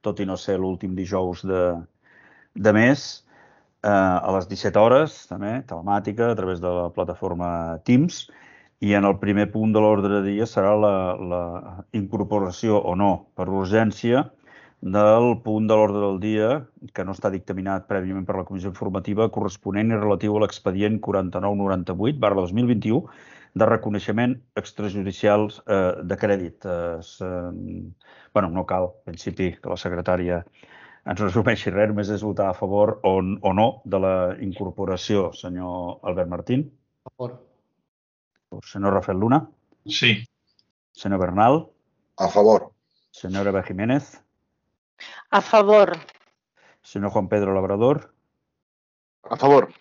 tot i no ser l'últim dijous de mes, a les 17 hores, també, telemàtica, a través de la plataforma Teams, i en el primer punt de l'ordre de dia serà la incorporació o no, per urgència, del punt de l'ordre del dia, que no està dictaminat prèviament per la Comissió Informativa, corresponent i relatiu a l'expedient 4998/2021 de reconeixement extrajudicial de crèdit. No cal, en principi, que la secretària ens resumeixi res, només és votar a favor o no de la incorporació. Senyor Albert Martín? A favor. Senyor Rafael Luna? Sí. Senyor Bernal? A favor. Senyora Eva Jiménez? A favor. Senyor Juan Pedro Labrador? A favor.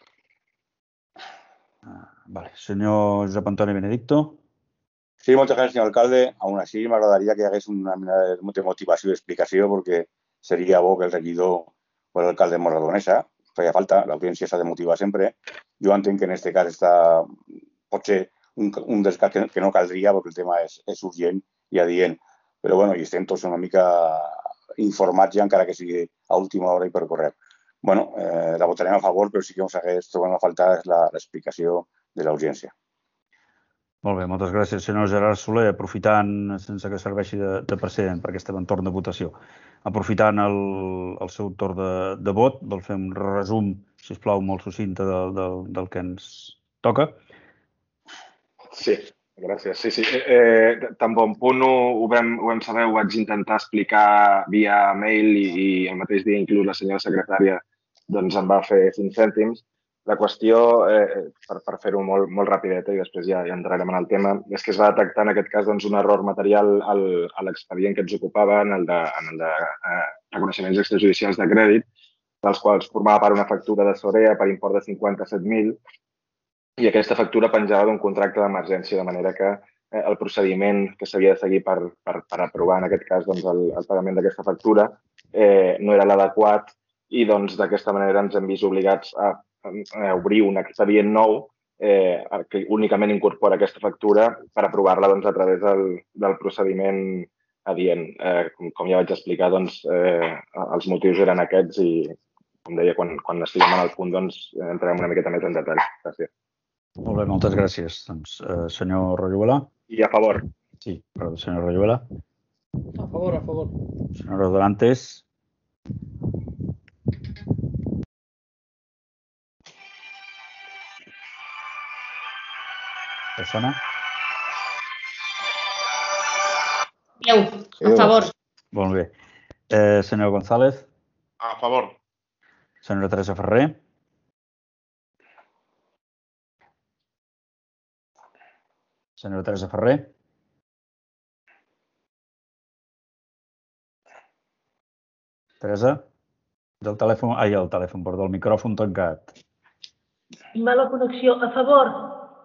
Vale. Senyor Josep Antoni Benedicto? Sí, moltes gràcies, senyor alcalde. Aún así, m'agradaria que hi hagués una mena de motivació i explicació, perquè seria bo que el regidor o l'alcalde mos redonés. Feia falta, l'audiència s'ha de motivar sempre. Jo entenc que en aquest cas pot ser un dels casos que no caldria, perquè el tema és urgent i adient. Però bueno, i estem tots una mica informats ja, encara que sigui a última hora i per correu. La votarem a favor, però sí que ens hagués trobat a faltar l'explicació de l'urgència. Molt bé, moltes gràcies, senyor Gerard Soler. Aprofitant, sense que serveixi de precedent per aquest entorn de votació, aprofitant el seu torn de vot, vol fer un resum, sisplau, molt succinte del que ens toca. Sí, gràcies. Sí. Tan bon punt ho vam saber, ho vaig intentar explicar via mail i el mateix dia inclús la senyora secretària em va fer 5 cèntims. La qüestió, per fer-ho molt rapideta i després ja entrarem en el tema, és que es va detectar en aquest cas un error material a l'expedient que ens ocupava, en el de reconeixements extrajudicials de crèdit, dels quals formava part una factura de Sorea per import de 57.000 i aquesta factura penjava d'un contracte d'emergència, de manera que el procediment que s'havia de seguir per aprovar en aquest cas el pagament d'aquesta factura no era l'adequat i d'aquesta manera ens hem vist obligats a obrir un expedient nou que únicament incorpora aquesta factura per aprovar-la a través del procediment adient. Com ja vaig explicar, els motius eren aquests i, com deia, quan estiguem en el punt entrarem una miqueta més en detall. Gràcies. Molt bé, moltes gràcies. Senyor Royuela? I a favor. Sí, perdó, senyor Royuela. A favor, a favor. Senyor Dorantes? Persona? A favor. Molt bé. Senyor González? A favor. Senyora Teresa Ferrer? Senyora Teresa Ferrer? Teresa? El telèfon, perdó, el micròfon tancat. Mala connexió. A favor.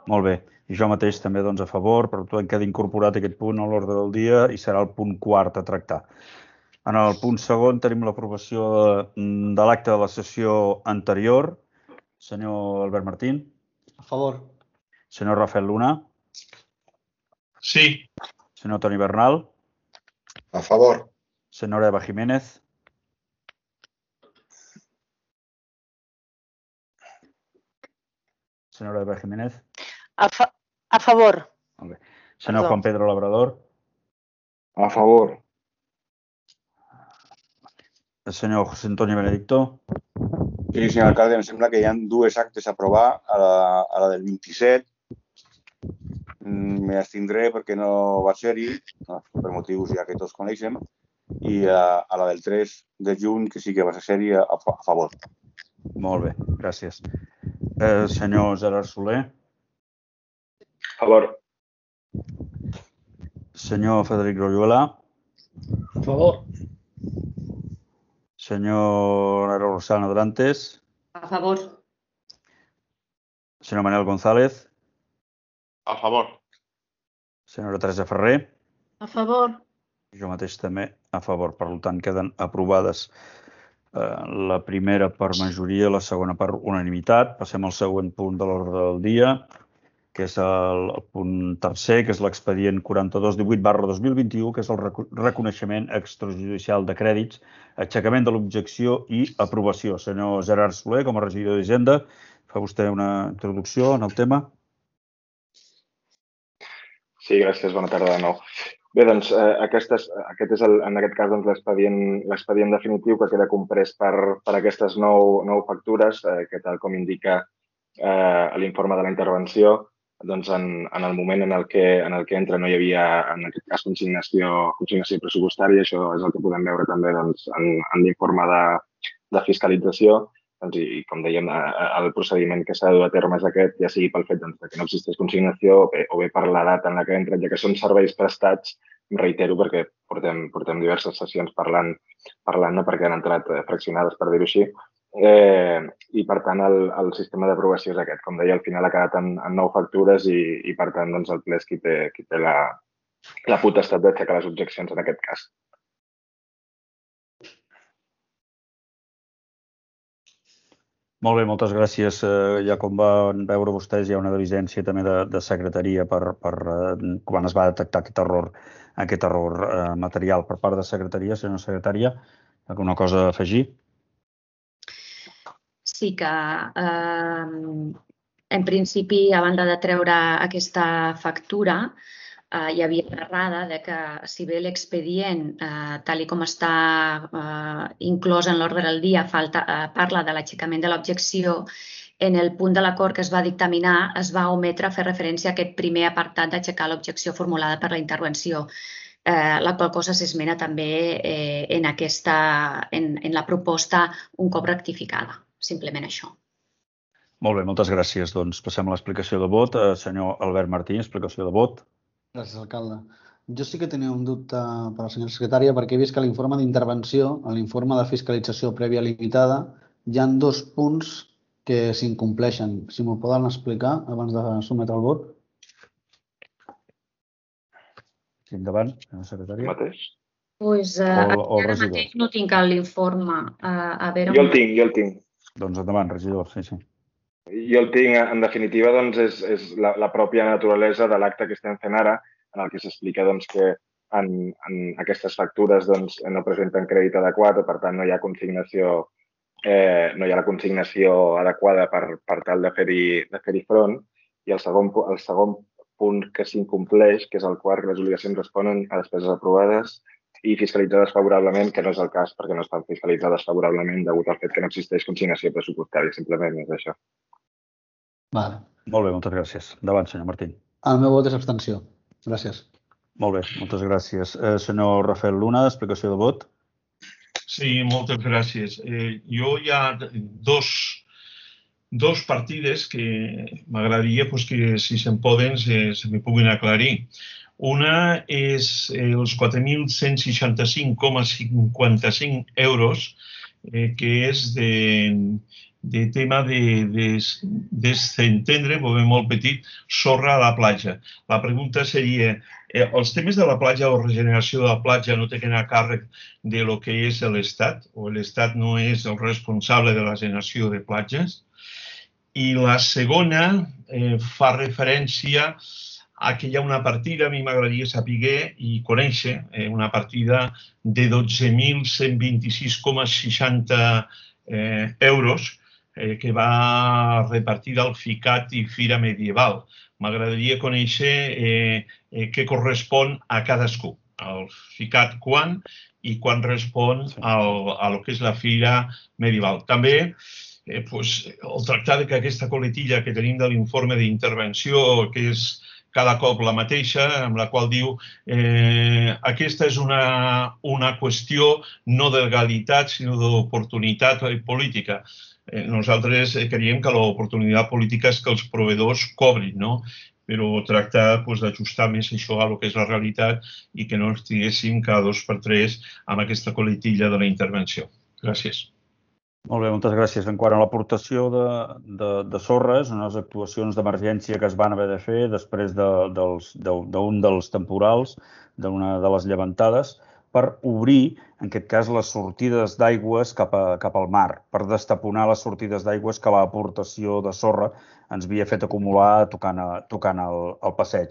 Molt bé. I jo mateix també a favor, per tant queda incorporat aquest punt a l'ordre del dia i serà el punt quart a tractar. En el punt segon tenim l'aprovació de l'acte de la sessió anterior. Senyor Albert Martín? A favor. Senyor Rafael Luna? Sí. Senyor Toni Bernal? A favor. Senyora Eva Jiménez? Senyora Eva Jiménez? A favor. Molt bé. Senyor Juan Pedro Labrador? A favor. El senyor José Antonio Benedicto? Sí, senyor alcalde, em sembla que hi ha dues actes a aprovar, a la del 27. M'abstindré perquè no va ser-hi, per motius ja que tots coneixem, i a la del 3 de juny, que sí que va ser-hi, a favor. Molt bé, gràcies. Senyor Gerard Soler? A favor. Senyor Frederic Royuela? A favor. Senyor Rosana Dorantes? A favor. Senyor Manuel González? A favor. Senyora Teresa Ferrer? A favor. Jo mateix també a favor. Per tant, queden aprovades la primera per majoria, la segona per unanimitat. Passem al següent punt de l'ordre del dia, que és el punt tercer, que és l'expedient 4218/2021, que és el reconeixement extrajudicial de crèdits, aixecament de l'objecció i aprovació. Senyor Gerard Soler, com a regidor d'Hisenda, fa vostè una introducció en el tema? Sí, gràcies. Bona tarda de nou. Bé, doncs, aquest és, en aquest cas, l'expedient definitiu que queda comprès per aquestes 9 factures, que tal com indica l'informe de la intervenció, doncs en el moment en el que entra no hi havia, en aquest cas, consignació pressupostària. Això és el que podem veure també en l'informe de fiscalització. I, com dèiem, el procediment que s'ha de dur a terme és aquest, ja sigui pel fet que no existeix consignació o bé per la data en la que entren, ja que són serveis prestats, em reitero, perquè portem diverses sessions parlant, perquè han entrat fraccionades, per dir-ho així, i, per tant, el sistema d'aprovació és aquest. Com deia, al final ha quedat en 9 factures i per tant, el ple és qui té la potestat d'aixecar les objeccions en aquest cas. Molt bé, moltes gràcies. Ja com van veure vostès, hi ha una diligència també de secretaria per quan es va detectar aquest error material per part de secretaria. Senyora secretària, alguna cosa a afegir? Sí que, en principi, a banda de treure aquesta factura, hi havia l'errada de que, si bé l'expedient, tal com està inclòs en l'ordre del dia, parla de l'aixecament de l'objecció, en el punt de l'acord que es va dictaminar es va ometre fer referència a aquest primer apartat d'aixecar l'objecció formulada per la intervenció, la qual cosa s'esmena també en la proposta un cop rectificada. Simplement això. Molt bé, moltes gràcies. Doncs passem a l'explicació de vot. Senyor Albert Martí, explicació de vot. Gràcies, alcalde. Jo sí que tenia un dubte per la senyora secretària perquè he vist que a l'informe d'intervenció, a l'informe de fiscalització prèvia limitada, hi ha 2 punts que s'incompleixen. Si m'ho poden explicar abans de sotmetre el vot. Sí, endavant, senyora secretària. Mateix? Doncs ara mateix no tinc l'informe. Jo el tinc. Doncs endavant, regidor, sí. Jo el tinc, en definitiva, és la pròpia naturalesa de l'acte que estem fent ara, en el que s'explica que en aquestes factures no presenten crèdit adequat, per tant no hi ha la consignació adequada per tal de fer-hi front. I el segon punt que s'incompleix, que és el quart, que les obligacions responen a despeses aprovades i fiscalitzades favorablement, que no és el cas perquè no estan fiscalitzades favorablement degut al fet que no existeix consignació pressupostària. Simplement és això. Vale. Molt bé, moltes gràcies. Endavant, senyor Martín. El meu vot és abstenció. Gràcies. Molt bé, moltes gràcies. Senyor Rafael Luna, explicació de vot. Sí, moltes gràcies. Jo hi ha dos partides que m'agradaria que, si se'n poden, se m'hi puguin aclarir. Una és els 4.165,55 euros, que és de tema de desentendre, molt petit, sorra a la platja. La pregunta seria, els temes de la platja o regeneració de la platja no tenen a càrrec de lo que és l'Estat, o l'Estat no és el responsable de la generació de platges? I la segona fa referència a que hi ha una partida, a mi m'agradaria saber i conèixer, una partida de 12.126,60 euros que va repartir al FICAT i Fira Medieval. M'agradaria conèixer què correspon a cadascú. Al FICAT quan i quan respon a lo que és la Fira Medieval. També el tractar que aquesta coletilla que tenim de l'informe d'intervenció, que és cada cop la mateixa, amb la qual diu aquesta és una qüestió no de legalitat, sinó d'oportunitat política. Nosaltres creiem que l'oportunitat política és que els proveïdors cobrin, no? Però tractar d'ajustar més això a lo que és la realitat i que no estiguéssim cada 2 per 3 amb aquesta coletilla de la intervenció. Gràcies. Molt bé, moltes gràcies. En quant a l'aportació de sorres, unes actuacions d'emergència que es van haver de fer després d'un dels temporals, d'una de les llevantades, per obrir, en aquest cas, les sortides d'aigües cap al mar, per destaponar les sortides d'aigües que l'aportació de sorra ens havia fet acumular tocant el passeig.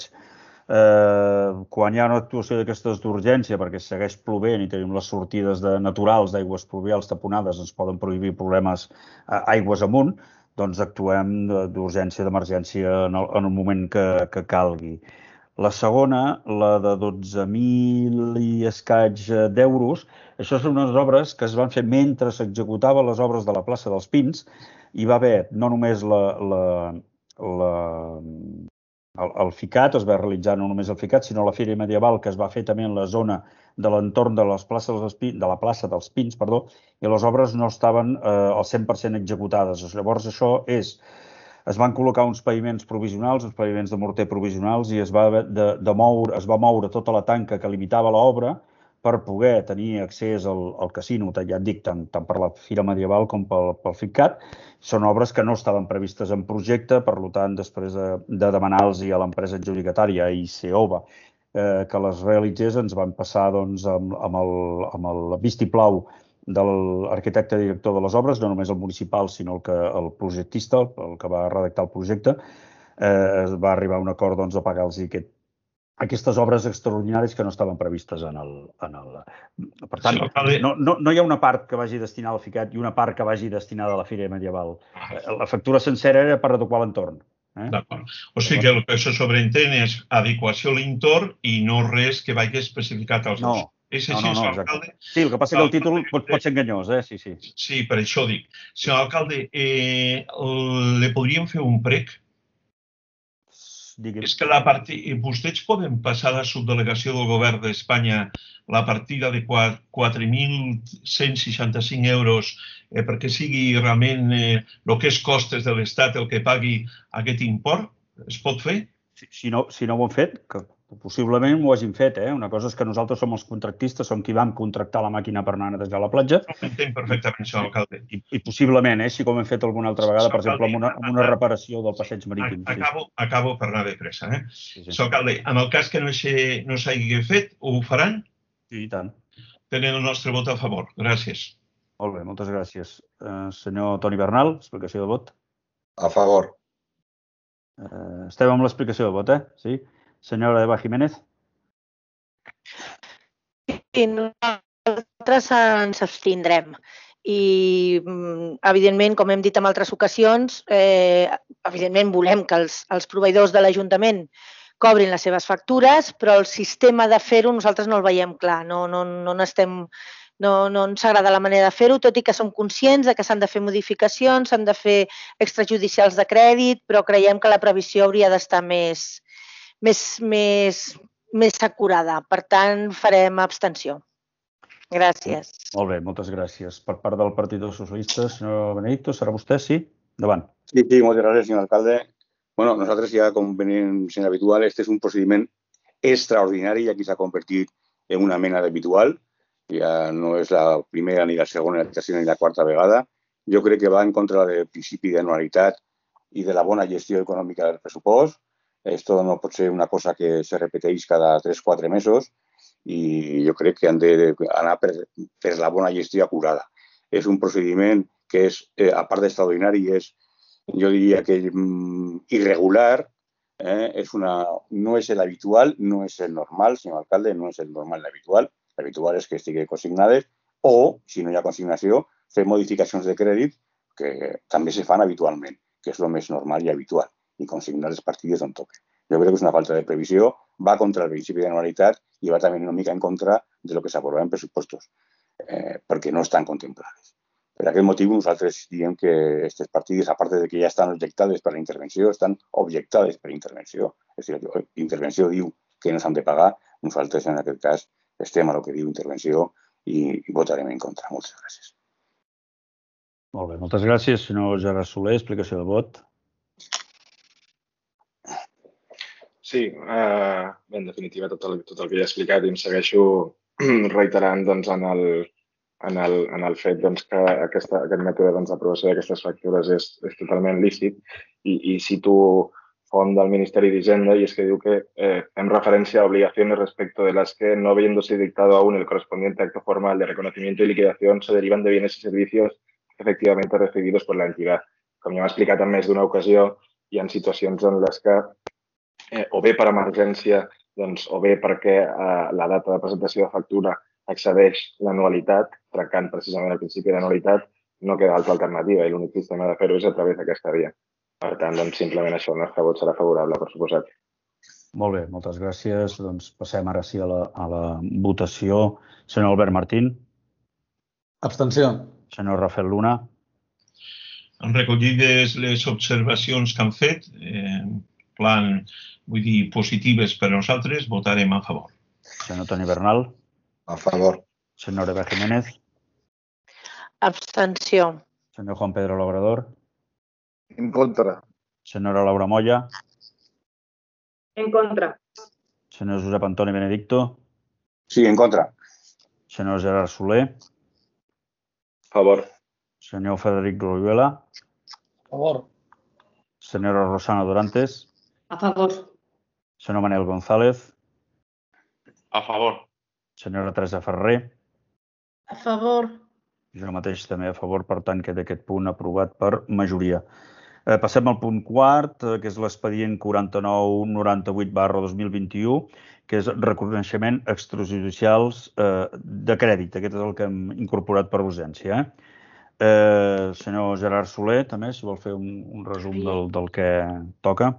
Quan hi ha una actuació d'aquestes d'urgència, perquè segueix plovent i tenim les sortides naturals d'aigües pluvials taponades, ens poden prohibir problemes aigües amunt, doncs actuem d'urgència, d'emergència en el moment que calgui. La segona, la de 12.000 i escaig d'euros, això són unes obres que es van fer mentre s'executaven les obres de la plaça dels Pins. Hi va haver no només el FICAT, es va realitzar no només el FICAT, sinó la Fira Medieval, que es va fer també en la zona de l'entorn de la plaça dels Pins, i les obres no estaven al 100% executades. Llavors, això es van col·locar uns paviments provisionals, uns paviments de morter provisionals, i es va moure tota la tanca que limitava l'obra per poder tenir accés al casino, ja et dic, tant per la Fira Medieval com pel FICAT. Són obres que no estaven previstes en projecte, per tant, després de demanar-los a l'empresa adjudicatària, ICOBA, que les realitzés, ens van passar amb el vistiplau de l'arquitecte director de les obres, no només el municipal, sinó el projectista, el que va redactar el projecte, va arribar a un acord de pagar-los aquestes obres extraordinàries que no estaven previstes en el... Per tant, no hi ha una part que vagi destinada al FICAT i una part que vagi destinada a la Fira Medieval. La factura sencera era per adequar l'entorn. D'acord. O sigui que el que se sobreentén és adequació a l'entorn i no res que vagi especificat als dos. És així, senyor alcalde? Sí, el que passa que el títol pot ser enganyós, sí. Sí, per això dic. Senyor alcalde, li podríem fer un prec? És que vostès poden passar a la subdelegació del govern d'Espanya la partida de 4.165 euros perquè sigui realment el que és costes de l'Estat el que pagui aquest import? Es pot fer? Si no ho han fet, que possiblement ho hagin fet. Una cosa és que nosaltres som els contractistes, som qui vam contractar la màquina per anar a netejar la platja. Ho entenc perfectament, senyor alcalde. I possiblement, si com hem fet alguna altra vegada, per exemple, amb una reparació del passeig marítim. Acabo per anar de pressa. Senyor alcalde, en el cas que no s'hagi fet, ho faran? Sí, i tant. Tenen el nostre vot a favor. Gràcies. Molt bé, moltes gràcies. Senyor Toni Bernal, explicació de vot. A favor. Estem amb l'explicació de vot, Sí. Senyora Eva Jiménez. Sí, nosaltres ens abstindrem. I, evidentment, com hem dit en altres ocasions, evidentment volem que els proveïdors de l'Ajuntament cobrin les seves factures, però el sistema de fer-ho nosaltres no el veiem clar. No ens agrada la manera de fer-ho, tot i que som conscients que s'han de fer modificacions, s'han de fer extrajudicials de crèdit, però creiem que la previsió hauria d'estar més acurada. Per tant, farem abstenció. Gràcies. Molt bé, moltes gràcies. Per part del Partit dels Socialistes, senyor Benedicto, serà vostè? Sí? Endavant. Sí, moltes gràcies, senyor alcalde. Bueno, nosaltres ja, com venim sent habitual, este és un procediment extraordinari i aquí s'ha convertit en una mena d'habitual. Ja no és la primera, ni la segona, ni la tercera, ni la quarta vegada. Jo crec que va en contra del principi d'anualitat i de la bona gestió econòmica del pressupost. Esto no pot ser una cosa que se repeteix cada 3-4 mesos i jo crec que han d'anar per la bona gestió acurada. És un procediment que és, a part d'extraordinari, jo diria que irregular, no és l'habitual, no és el normal, senyor alcalde, no és el normal l'habitual. L'habitual és que estigui consignades o, si no hi ha consignació, fer modificacions de crèdit que també se fan habitualment, que és el més normal i habitual, i consignar les partides on toquen. Jo crec que és una falta de previsió, va contra el principi d'anualitat i va també una mica en contra de lo que s'aprova en pressupostos, perquè no estan contemplades. Per aquest motiu nosaltres diem que aquestes partides, a part de que ja estan objectades per la intervenció, estan objectades per intervenció. És a dir, la intervenció diu que no s'han de pagar, nosaltres en aquest cas estem a el que diu intervenció i votarem en contra. Moltes gràcies. Molt bé, moltes gràcies. Senyor Gerard Soler, explicació de vot. Sí, en definitiva tot el que ja he explicat i em segueixo reiterant en el fet que aquest mètode d'aprovació d'aquestes factures és totalment lícit i cito font del Ministeri d'Hisenda, y es que diu que en referencia a obligaciones respecto de las que, no habiéndose dictado aún el correspondiente acto formal de reconocimiento y liquidación, se derivan de bienes y servicios efectivamente recibidos por la entidad. Com ja m'ha explicat en més d'una ocasió, hi ha situacions en les que, o bé per emergència, o bé perquè la data de presentació de factura excedeix l'anualitat, trencant precisament el principi d'anualitat, no queda altra alternativa i l'únic sistema de fer-ho és a través d'aquesta via. Per tant, simplement això, el nostre vot serà favorable, per suposat. Molt bé, moltes gràcies. Doncs passem ara sí a la votació. Senyor Albert Martín. Abstenció. Senyor Rafael Luna. Han recollides les observacions que han fet, plan, vull dir, positives per a nosaltres, votarem a favor. Senyor Toni Bernal. A favor. Senyor Eva Jiménez. Abstenció. Senyor Juan Pedro Labrador. En contra. Senyora Laura Moya. En contra. Senyor Josep Antoni Benedicto. Sí, en contra. Senyor Gerard Soler. Favor. Senyor Frederic Royuela. Favor. Senyora Rosana Dorantes. A favor. Senyor Manel González. A favor. Senyora Teresa Ferrer. A favor. Jo mateix també a favor, per tant, queda aquest punt aprovat per majoria. Passem al punt quart, que és l'expedient 4998/2021, que és reconeixement extrajudicials de crèdit. Aquest és el que hem incorporat per urgència. Senyor Gerard Soler, també, si vol fer un resum del que toca.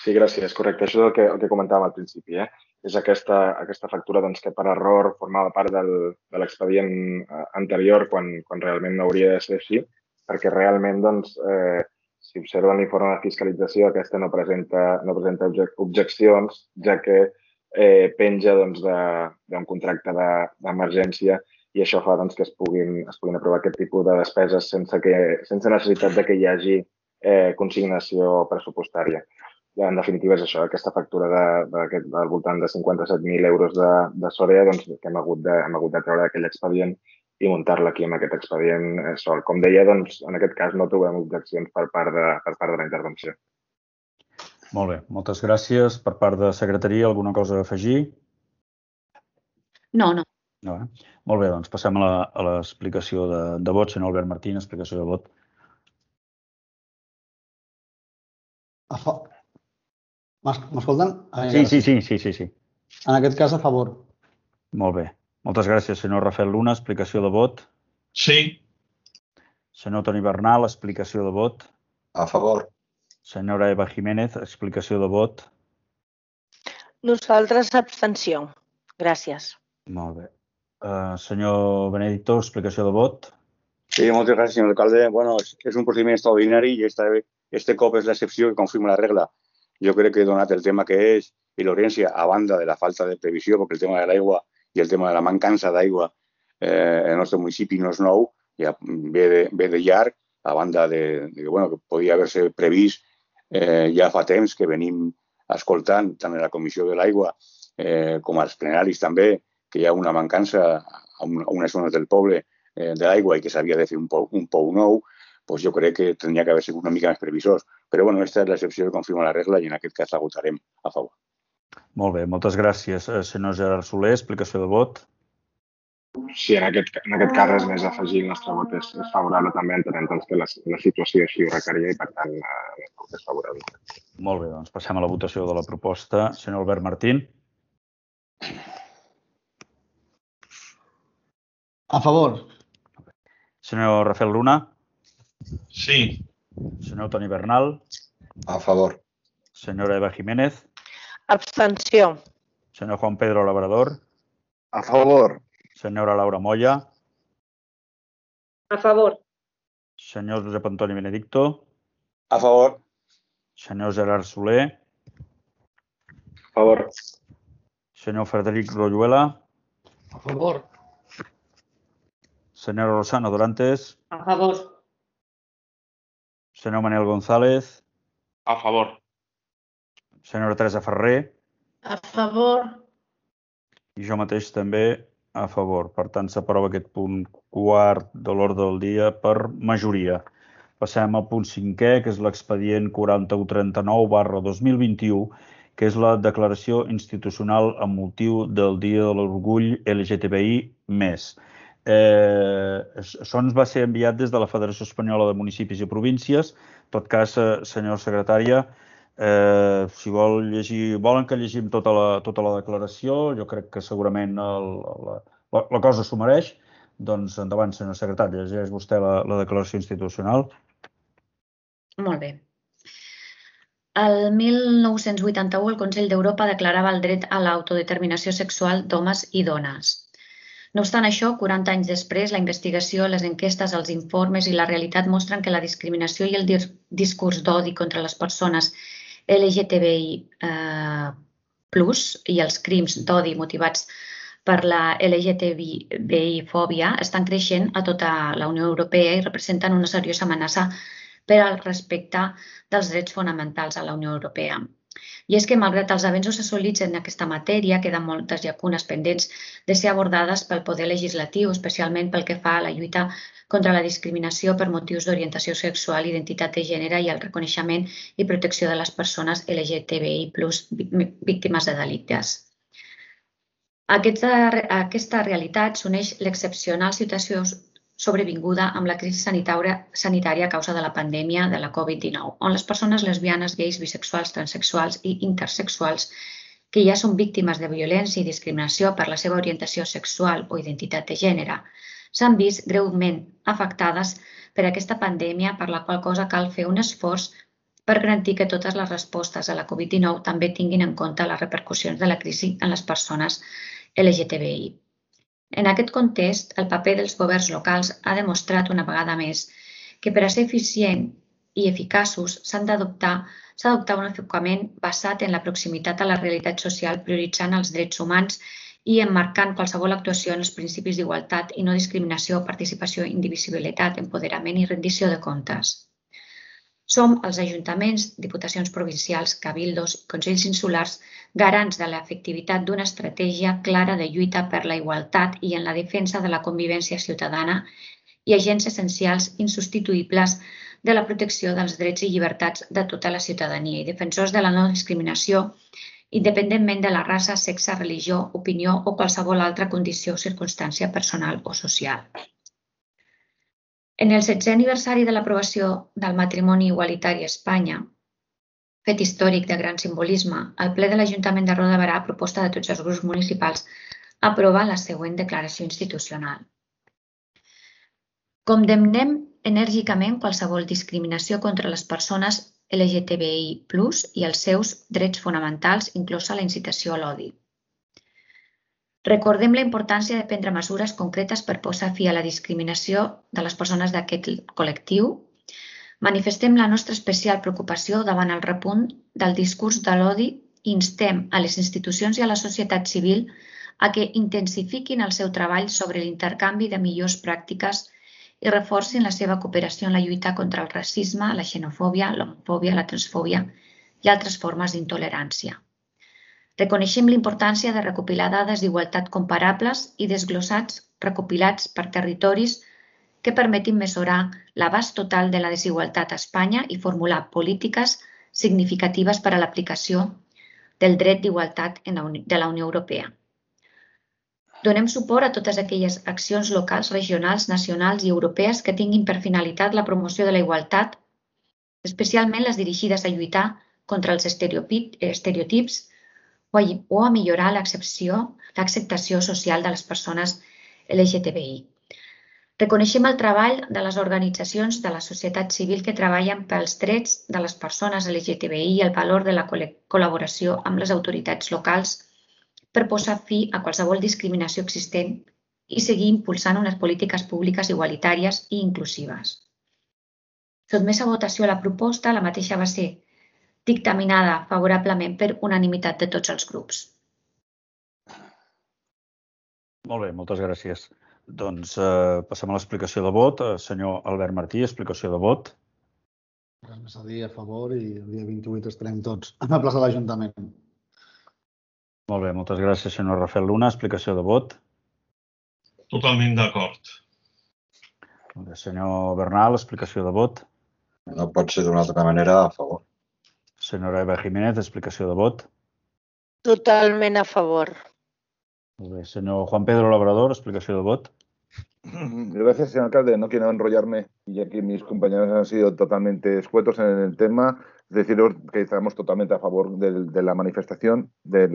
Sí, gràcies. Correcte. Això és el que comentàvem al principi. És aquesta factura que per error formava part de l'expedient anterior quan realment no hauria de ser així, perquè realment, si observen l'informe de fiscalització, aquesta no presenta objeccions, ja que penja d'un contracte d'emergència i això fa que es puguin aprovar aquest tipus de despeses sense necessitat que hi hagi consignació pressupostària. En definitiva, és això, aquesta factura del voltant de 57.000 euros de Sorea que hem hagut de treure d'aquell expedient i muntar-la aquí amb aquest expedient sol. Com deia, en aquest cas no trobem objeccions per part de la intervenció. Molt bé, moltes gràcies. Per part de secretaria, alguna cosa a afegir? No. Molt bé, doncs passem a l'explicació de vot. Senyor Albert Martín, explicació de vot. M'escolten? Sí. En aquest cas, a favor. Molt bé. Moltes gràcies, senyor Rafael Luna. Explicació de vot. Sí. Senyor Toni Bernal, explicació de vot. A favor. Senyora Eva Jiménez, explicació de vot. Nosaltres, abstenció. Gràcies. Molt bé. Senyor Benedicto, explicació de vot. Sí, moltes gràcies, senyor alcalde. Bueno, és un procediment extraordinari i este cop és l'excepció que confirma la regla. Jo crec que, donat el tema que és i l'urgència, a banda de la falta de previsió, perquè el tema de l'aigua i el tema de la mancança d'aigua en el nostre municipi no és nou, ja ve de llarg, a banda que podia haver-se previst ja fa temps que venim escoltant tant en la Comissió de l'Aigua com als plenaris també, que hi ha una mancança a unes zones del poble de l'aigua i que s'havia de fer un pou nou, doncs jo crec que tindria que haver sigut una mica més previsors. Però aquesta és l'excepció que confirma la regla i en aquest cas la votarem a favor. Molt bé, moltes gràcies. Senyor Gerard Soler, explicació de vot. Sí, en aquest cas res més a afegir. El nostre vot és favorable també, entenent que la situació així ho requeria i per tant el vot és favorable. Molt bé, doncs passem a la votació de la proposta. Senyor Albert Martín. A favor. Senyor Rafael Luna. Sí. Senyor Toni Bernal. A favor. Senyora Eva Jiménez. Abstenció. Senyor Juan Pedro Labrador. A favor. Senyora Laura Moya. A favor. Senyor Josep Antoni Benedicto. A favor. Senyor Gerard Soler. A favor. Senyor Frederic Royuela. A favor. Senyora Rosana Dorantes. A favor. Senyor Manel González. A favor. Senyora Teresa Ferrer. A favor. I jo mateix també a favor. Per tant, s'aprova aquest punt quart de l'ordre del dia per majoria. passem al punt 5è, que és l'expedient 4139/2021, que és la declaració institucional amb motiu del Dia de l'Orgull LGTBI+. Això ens va ser enviat des de la Federació Espanyola de Municipis i Províncies. En tot cas, senyora secretària, si volen que llegim tota la declaració, jo crec que segurament la cosa s'ho mereix. Doncs endavant, senyora secretària, llegeix vostè la declaració institucional. Molt bé. El 1981 el Consell d'Europa declarava el dret a l'autodeterminació sexual d'homes i dones. No obstant això, 40 anys després, la investigació, les enquestes, els informes i la realitat mostren que la discriminació i el discurs d'odi contra les persones LGTBI+ i els crims d'odi motivats per la LGTBI-fòbia estan creixent a tota la Unió Europea i representen una seriosa amenaça per al respecte dels drets fonamentals a la Unió Europea. I és que, malgrat els avenços assolits en aquesta matèria, queden moltes llacunes pendents de ser abordades pel poder legislatiu, especialment pel que fa a la lluita contra la discriminació per motius d'orientació sexual, identitat de gènere i el reconeixement i protecció de les persones LGTBI+ víctimes de delictes. A aquesta realitat s'uneix l'excepcional situació sobrevinguda amb la crisi sanitària a causa de la pandèmia de la Covid-19, on les persones lesbianes, gais, bisexuals, transsexuals i intersexuals que ja són víctimes de violència i discriminació per la seva orientació sexual o identitat de gènere s'han vist greument afectades per aquesta pandèmia, per la qual cosa cal fer un esforç per garantir que totes les respostes a la Covid-19 també tinguin en compte les repercussions de la crisi en les persones LGTBI. En aquest context, el paper dels governs locals ha demostrat una vegada més que per a ser eficient i eficaços s'ha d'adoptar un enfocament basat en la proximitat a la realitat social, prioritzant els drets humans i emmarcant qualsevol actuació en els principis d'igualtat i no discriminació, participació, indivisibilitat, empoderament i rendició de comptes. Som els ajuntaments, diputacions provincials, cabildos i consells insulars garants de l'efectivitat d'una estratègia clara de lluita per la igualtat i en la defensa de la convivència ciutadana i agents essencials insubstituïbles de la protecció dels drets i llibertats de tota la ciutadania i defensors de la no discriminació, independentment de la raça, sexe, religió, opinió o qualsevol altra condició o circumstància personal o social. En el 16è aniversari de l'aprovació del matrimoni igualitari a Espanya, fet històric de gran simbolisme, el ple de l'Ajuntament de Roda de Berà, a proposta de tots els grups municipals, aprova la següent declaració institucional. Condemnem enèrgicament qualsevol discriminació contra les persones LGTBI+ i els seus drets fonamentals, inclosa la incitació a l'odi. Recordem la importància de prendre mesures concretes per posar fi a la discriminació de les persones d'aquest col·lectiu. Manifestem la nostra especial preocupació davant el repunt del discurs de l'odi i instem a les institucions i a la societat civil a que intensifiquin el seu treball sobre l'intercanvi de millors pràctiques i reforcin la seva cooperació en la lluita contra el racisme, la xenofòbia, l'homofòbia, la transfòbia i altres formes d'intolerància. Reconeixem l'importància de recopilar dades d'igualtat comparables i desglossats recopilats per territoris que permetin mesurar l'abast total de la desigualtat a Espanya i formular polítiques significatives per a l'aplicació del dret d'igualtat de la Unió Europea. Donem suport a totes aquelles accions locals, regionals, nacionals i europees que tinguin per finalitat la promoció de la igualtat, especialment les dirigides a lluitar contra els estereotips o a millorar l'acceptació social de les persones LGTBI. Reconeixem el treball de les organitzacions de la societat civil que treballen pels drets de les persones LGTBI i el valor de la col·laboració amb les autoritats locals per posar fi a qualsevol discriminació existent i seguir impulsant unes polítiques públiques igualitàries i inclusives. Sotmès a votació la proposta, la mateixa va ser dictaminada favorablement per unanimitat de tots els grups. Molt bé, moltes gràcies. Doncs passem a l'explicació de vot. Senyor Albert Martí, explicació de vot. Res més a dir a favor i el dia 28 estarem tots a la plaça de l'Ajuntament. Molt bé, moltes gràcies, senyor Rafael Luna. Explicació de vot. Totalment d'acord. Senyor Bernal, explicació de vot. No pot ser d'una altra manera, a favor. Senyora Eva Jiménez, explicació de vot. Totalment a favor. Molt bé. Senyor Juan Pedro Labrador, explicació de vot. Gracias, señor alcalde. No quiero enrollarme, ya que mis compañeros han sido totalmente escuetos en el tema. Deciros que estamos totalmente a favor de la manifestación, del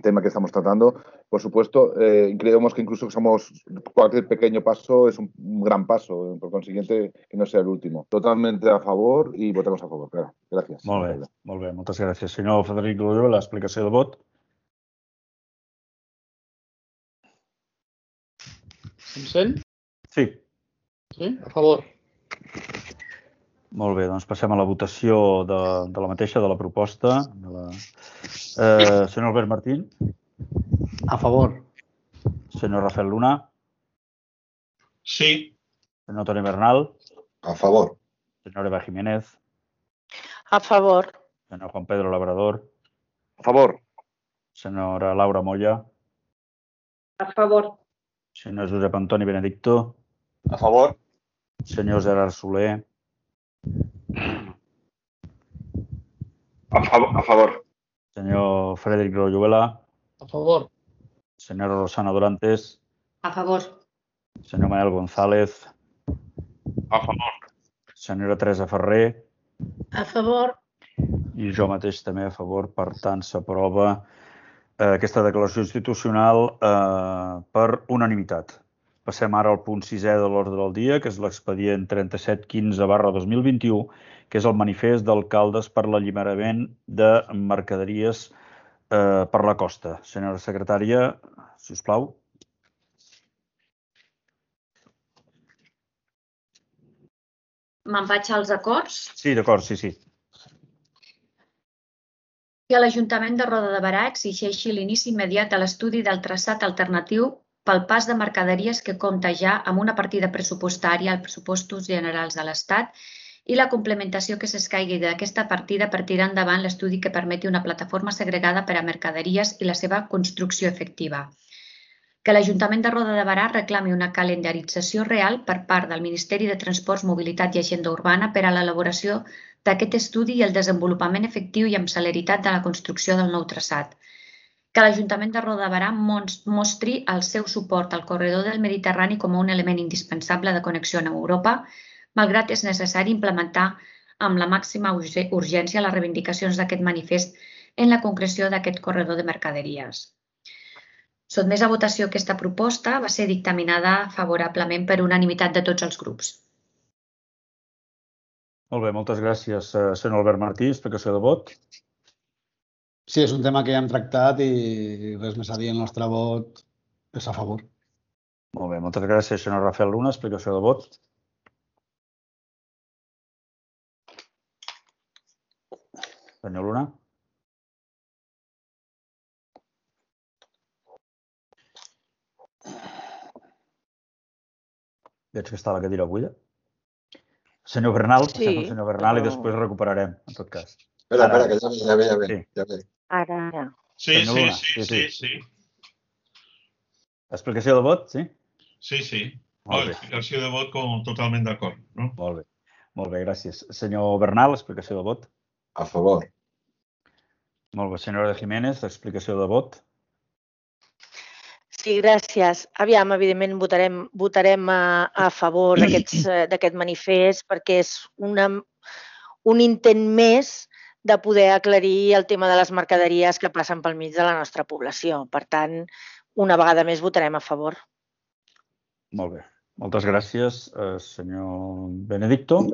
tema que estamos tratando. Por supuesto, creemos que incluso cualquier pequeño paso es un gran paso, por consiguiente, que no sea el último. Totalmente a favor y votamos a favor, claro. Gràcies. Molt bé, moltes gràcies. Senyor Frederic Loyola, l'explicació de vot. Em sent? Sí. Sí? A favor. Molt bé, doncs passem a la votació de la mateixa, de la proposta. Senyor Albert Martín. A favor. Senyor Rafael Luna. Sí. Senyor Toni Bernal. A favor. Senyora Eva Jiménez. A favor. Senyor Juan Pedro Labrador. A favor. Senyora Laura Moya. A favor. Senyor Josep Antoni Benedicto. A favor. Senyor Gerard Soler. A favor. Senyor Frederic Loyola. A favor. Senyora Rosana Dorantes. A favor. Senyor Manel González. A favor. Senyora Teresa Ferrer. A favor. I jo mateix també a favor. Per tant, s'aprova aquesta declaració institucional per unanimitat. Passem ara al punt 6è de l'ordre del dia, que és l'expedient 3715/2021, que és el manifest d'alcaldes per l'alliberament de mercaderies per la costa. Senyora secretària, si us plau. Me'n vaig als acords. Sí, d'acord, sí. Que l'Ajuntament de Roda de Berà exigeixi l'inici immediat de l'estudi del traçat alternatiu pel pas de mercaderies que compta ja amb una partida pressupostària als pressupostos generals de l'Estat i la complementació que s'escaigui d'aquesta partida per tirar endavant l'estudi que permeti una plataforma segregada per a mercaderies i la seva construcció efectiva. Que l'Ajuntament de Roda de Berà reclami una calendarització real per part del Ministeri de Transports, Mobilitat i Agenda Urbana per a l'elaboració d'aquest estudi i el desenvolupament efectiu i amb celeritat de la construcció del nou traçat. Que l'Ajuntament de Roda de Berà mostri el seu suport al corredor del Mediterrani com un element indispensable de connexió amb Europa, malgrat és necessari implementar amb la màxima urgència les reivindicacions d'aquest manifest en la concreció d'aquest corredor de mercaderies. Sotmès a votació aquesta proposta va ser dictaminada favorablement per unanimitat de tots els grups. Molt bé, moltes gràcies, senyor Albert Martí. Explicació de vot. Sí, és un tema que ja hem tractat i res més a dir. El nostre vot és a favor. Molt bé, moltes gràcies, senyor Rafael Luna. Explicació de vot. Senyor Luna. Veig que està la cadira buida. Senyor Bernal, passem al senyor Bernal i després recuperarem, en tot cas. Espera, que ja ve. Ara. Sí. Explicació de vot, sí? Sí. Explicació de vot totalment d'acord. Molt bé, gràcies. Senyor Bernal, explicació de vot. A favor. Molt bé, senyora Jiménez, explicació de vot. Sí, gràcies. Aviam, evidentment votarem a favor d'aquest manifest perquè és un intent més de poder aclarir el tema de les mercaderies que passen pel mig de la nostra població. Per tant, una vegada més votarem a favor. Molt bé. Moltes gràcies, senyor Benedicto.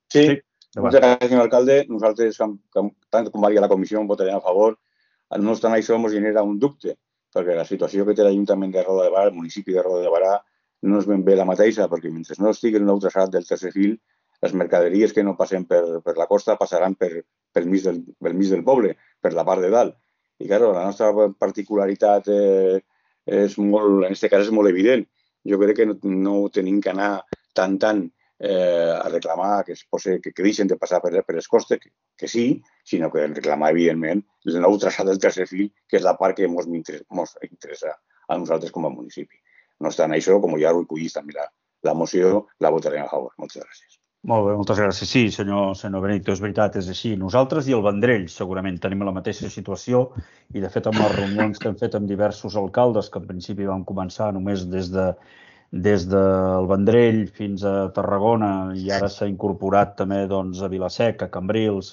Sí, moltes gràcies, senyor alcalde. Nosaltres, tant com va dir a la comissió, votarem a favor. No obstant això, ens genera un dubte, perquè la situació que té l'Ajuntament de Roda de Berà, el municipi de Roda de Berà, no és ben bé la mateixa, perquè mentre no estigui el nou traçat del tercer fil, les mercaderies que no passen per la costa passaran pel mig del poble, per la part de dalt. I, clar, la nostra particularitat en aquest cas és molt evident. Jo crec que no tenim que anar tant a reclamar que deixen de passar per les costes, que sí, sinó que reclamar, evidentment, el nou traçat del tercer fil, que és la part que ens interessa a nosaltres com a municipi. No obstant això, com ja recollit també la moció la votarem a favor. Moltes gràcies. Molt bé, moltes gràcies. Sí, senyor Benito, és veritat, és així. Nosaltres i el Vendrell segurament tenim la mateixa situació i, de fet, amb les reunions que hem fet amb diversos alcaldes, que en principi vam començar només des del Vendrell fins a Tarragona i ara s'ha incorporat també a Vila-seca, a Cambrils,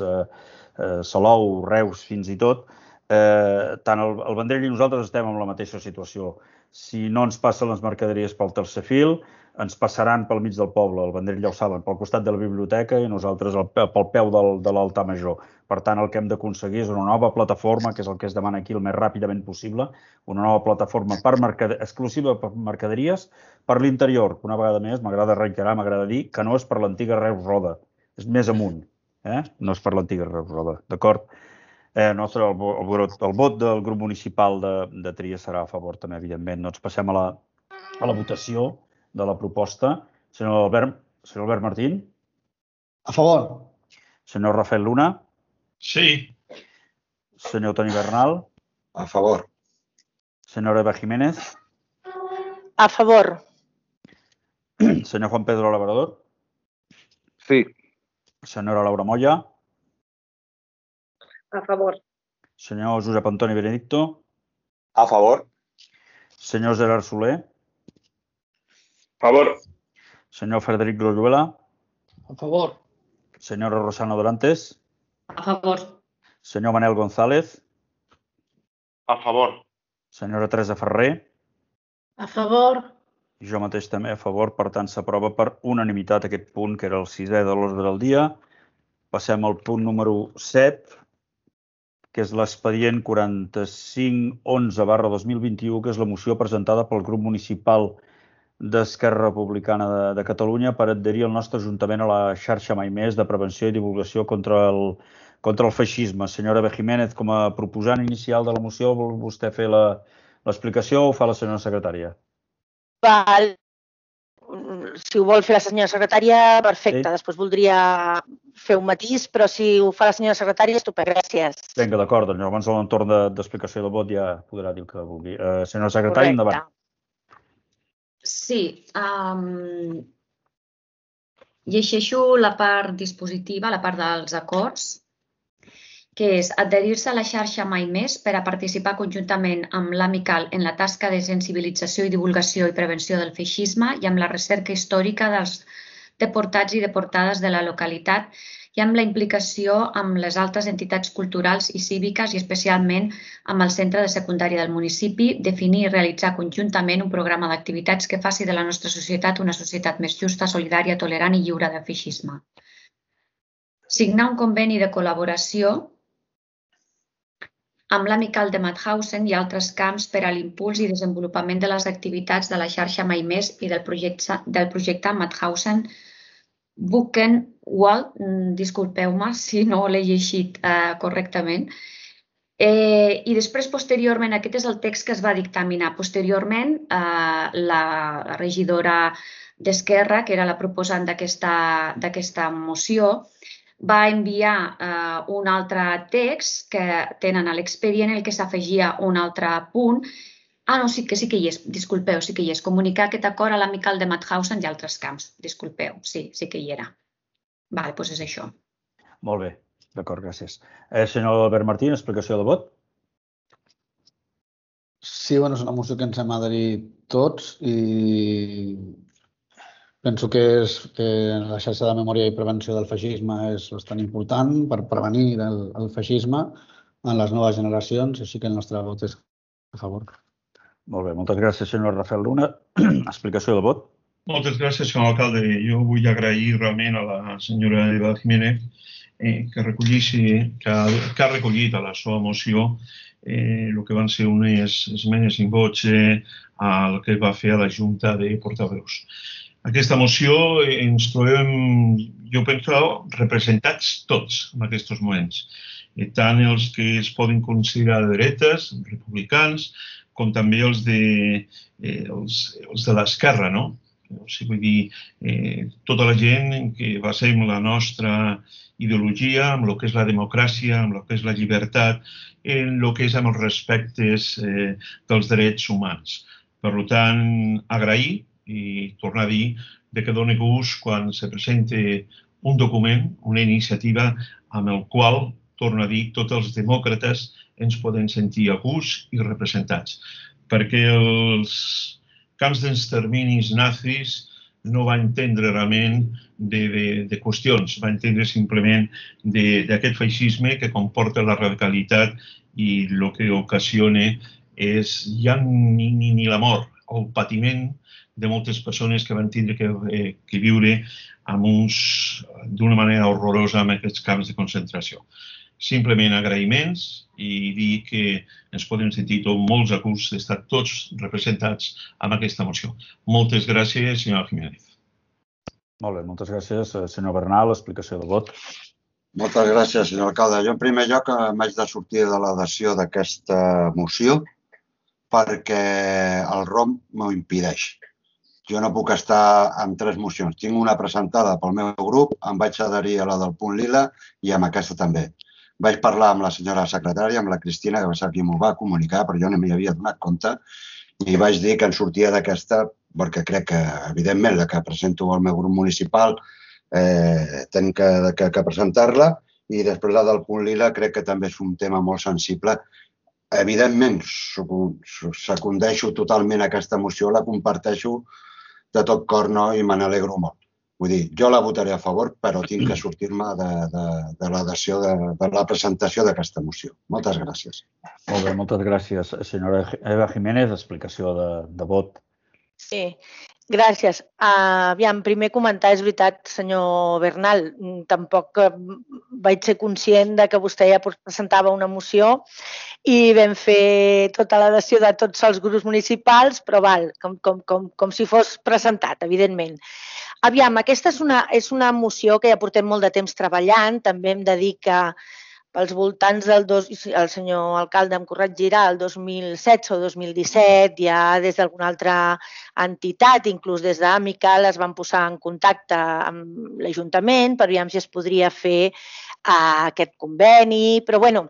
Salou, Reus, fins i tot, tant el Vendrell i nosaltres estem en la mateixa situació. Si no ens passen les mercaderies pel tercer fil, ens passaran pel mig del poble, el Vendrell ja ho saben, pel costat de la biblioteca i nosaltres pel peu de l'altar major. Per tant, el que hem d'aconseguir és una nova plataforma, que és el que es demana aquí el més ràpidament possible, una nova plataforma exclusiva per mercaderies per l'interior. Una vegada més, m'agrada reiterar, m'agrada dir que no és per l'antiga Reus Roda, és més amunt, no és per l'antiga Reus Roda, d'acord? El vot del grup municipal de Tria serà a favor també, evidentment. Doncs passem a la votació de la proposta. Senyor Albert Martín? A favor. Senyor Rafael Luna? Sí. Senyor Toni Bernal? A favor. Senyora Eva Jiménez? A favor. Senyor Juan Pedro Labrador? Sí. Senyora Laura Moya? A favor. Senyor Josep Antoni Benedicto? A favor. Senyor Gerard Soler? A favor. Senyor Frederic Loyola? A favor. Senyora Rosana Dorantes? A favor. Senyor Manel González? A favor. Senyora Teresa Ferrer? A favor. I jo mateix també a favor, per tant s'aprova per unanimitat aquest punt, que era el 6è de l'ordre del dia. Passem al punt número 7, que és l'expedient 4511/2021, que és la moció presentada pel grup municipal d'Esquerra Republicana de Catalunya per adherir el nostre Ajuntament a la xarxa Mai Més de prevenció i divulgació contra el feixisme. Senyora Eva Jiménez, com a proposant inicial de la moció, vol vostè fer l'explicació o ho fa la senyora secretària? Val. Si ho vol fer la senyora secretària, perfecte. Sí. Després voldria fer un matís, però si ho fa la senyora secretària, estupend. Gràcies. Vinga, d'acord. Doncs llavors a l'entorn d'explicació de vot ja podrà dir el que vulgui. Senyora secretària, endavant. Sí. Llegeixo la part dispositiva, la part dels acords, que és adherir-se a la xarxa Mai Més per a participar conjuntament amb l'Amical en la tasca de sensibilització i divulgació i prevenció del feixisme i amb la recerca històrica dels deportats i deportades de la localitat i amb la implicació amb les altres entitats culturals i cíviques i especialment amb el centre de secundària del municipi, definir i realitzar conjuntament un programa d'activitats que faci de la nostra societat una societat més justa, solidària, tolerant i lliure de feixisme. Signar un conveni de col·laboració amb l'Amical de Mauthausen i altres camps per a l'impuls i desenvolupament de les activitats de la xarxa Mai Més i del projecte Mauthausen Buchenwald, disculpeu-me si no l'he llegit correctament. I després, posteriorment, aquest és el text que es va dictaminar. Posteriorment, la regidora d'Esquerra, que era la proposant d'aquesta moció, va enviar un altre text que tenen a l'expedient en el que s'afegia un altre punt. No, sí que hi és, disculpeu, sí que hi és. Comunicar aquest acord a l'Amical de Mauthausen i altres camps. Disculpeu, sí que hi era. Vale, doncs és això. Molt bé, d'acord, gràcies. Senyor Albert Martín, explicació de vot? Sí, és una moció que ens hem adherit tots i penso que la xarxa de memòria i prevenció del feixisme és bastant important per prevenir el feixisme en les noves generacions, així que el nostre vot és a favor. Molt bé, moltes gràcies, senyor Rafael Luna. Explicació de vot. Moltes gràcies, senyor alcalde. Jo vull agrair realment a la senyora Eva Jiménez que ha recollit a la seva moció el que van ser unes esmenes in voce al que va fer a la Junta de Portaveus. Aquesta moció ens trobem, jo penso, representats tots en aquests moments. Tant els que es poden considerar de dretes, republicans, com també els de l'esquerra, no? O sigui, vull dir, tota la gent que basem la nostra ideologia en el que és la democràcia, en el que és la llibertat, en el que és amb els respectes dels drets humans. Per tant, agrair i tornar a dir que dona gust quan se presenta un document, una iniciativa amb el qual, torno a dir, tots els demòcrates ens podem sentir a gust i representats. Perquè els camps d'exterminis nazis no va entendre realment de qüestions, va entendre simplement d'aquest feixisme que comporta la radicalitat i el que ocasiona és ja ni la mort, el patiment de moltes persones que van tindre que viure d'una manera horrorosa en aquests camps de concentració. Simplement agraïments i dir que ens podem sentir molts a gust d'estar tots representats amb aquesta moció. Moltes gràcies, senyora Jiménez. Molt bé, moltes gràcies, senyor Bernal. Explicació de vot. Moltes gràcies, senyor alcalde. Jo, en primer lloc, m'haig de sortir de l'adhesió d'aquesta moció perquè el ROM m'ho impedeix. Jo no puc estar amb 3 mocions. Tinc una presentada pel meu grup, em vaig adherir a la del punt lila i amb aquesta també. Vaig parlar amb la senyora secretària, amb la Cristina, que va ser qui m'ho va comunicar, però jo no m'hi havia donat compte, i vaig dir que en sortia d'aquesta, perquè crec que, evidentment, la que presento al meu grup municipal, tenc que presentar-la, i després la del punt lila crec que també és un tema molt sensible. Evidentment, secundeixo totalment aquesta moció, la comparteixo de tot cor, no? I me n'alegro molt. Vull dir, jo la votaré a favor, però tinc que sortir-me de l'adhesió de la presentació d'aquesta moció. Moltes gràcies. Molt bé, moltes gràcies, senyora Eva Jiménez. Explicació de vot. Sí, gràcies. Aviam, primer comentar, és veritat, senyor Bernal, tampoc vaig ser conscient que vostè ja presentava una moció i vam fer tota l'adhesió de tots els grups municipals, però val, com si fos presentat, evidentment. Aviam, aquesta és una moció que ja portem molt de temps treballant. També hem de dir que pels voltants el senyor alcalde em corregirà, el 2016 o 2017, ja des d'alguna altra entitat, inclús des d'Amical, es van posar en contacte amb l'Ajuntament per veure si es podria fer aquest conveni, però bueno,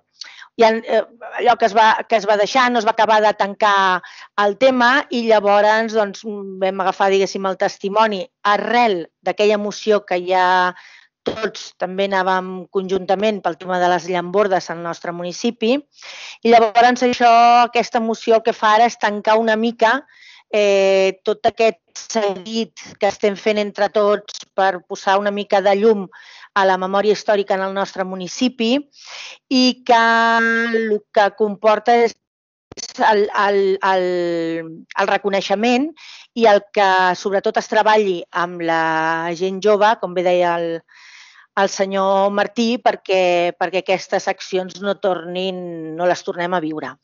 allò que es va deixar, no es va acabar de tancar el tema i llavors vam agafar, diguéssim, el testimoni arrel d'aquella moció que ja tots també anàvem conjuntament pel tema de les llambordes al nostre municipi i llavors aquesta moció el que fa ara és tancar una mica tot aquest seguit que estem fent entre tots per posar una mica de llum a la memòria històrica en el nostre municipi i que el que comporta és el reconeixement i el que sobretot es treballi amb la gent jove, com bé deia el senyor Martí, perquè aquestes accions no les tornem a viure.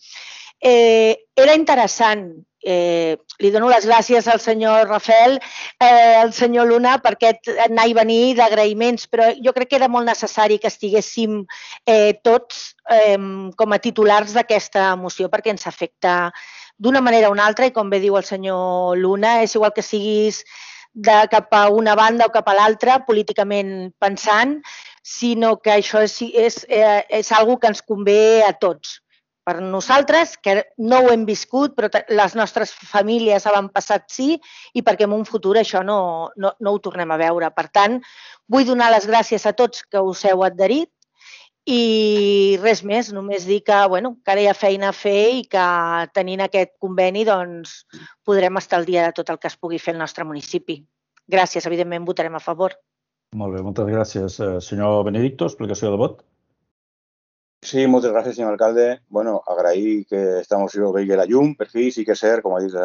Era interessant, li dono les gràcies al senyor Rafael, al senyor Luna, per aquest anar i venir d'agraïments, però jo crec que era molt necessari que estiguéssim tots com a titulars d'aquesta moció perquè ens afecta d'una manera o una altra i com bé diu el senyor Luna, és igual que siguis cap a una banda o cap a l'altra, políticament pensant, sinó que això és algo que ens convé a tots. Per nosaltres, que no ho hem viscut, però les nostres famílies avantpassats sí, i perquè en un futur això no ho tornem a veure. Per tant, vull donar les gràcies a tots que us heu adherit i res més, només dir que ara hi ha feina a fer i que tenint aquest conveni podrem estar al dia de tot el que es pugui fer al nostre municipi. Gràcies, evidentment votarem a favor. Molt bé, moltes gràcies. Senyor Benedicto, explicació de vot. Sí, moltes gràcies, senyor alcalde. Agrair que esta moció vegi la llum, per fi, sí que és cert, com ha dit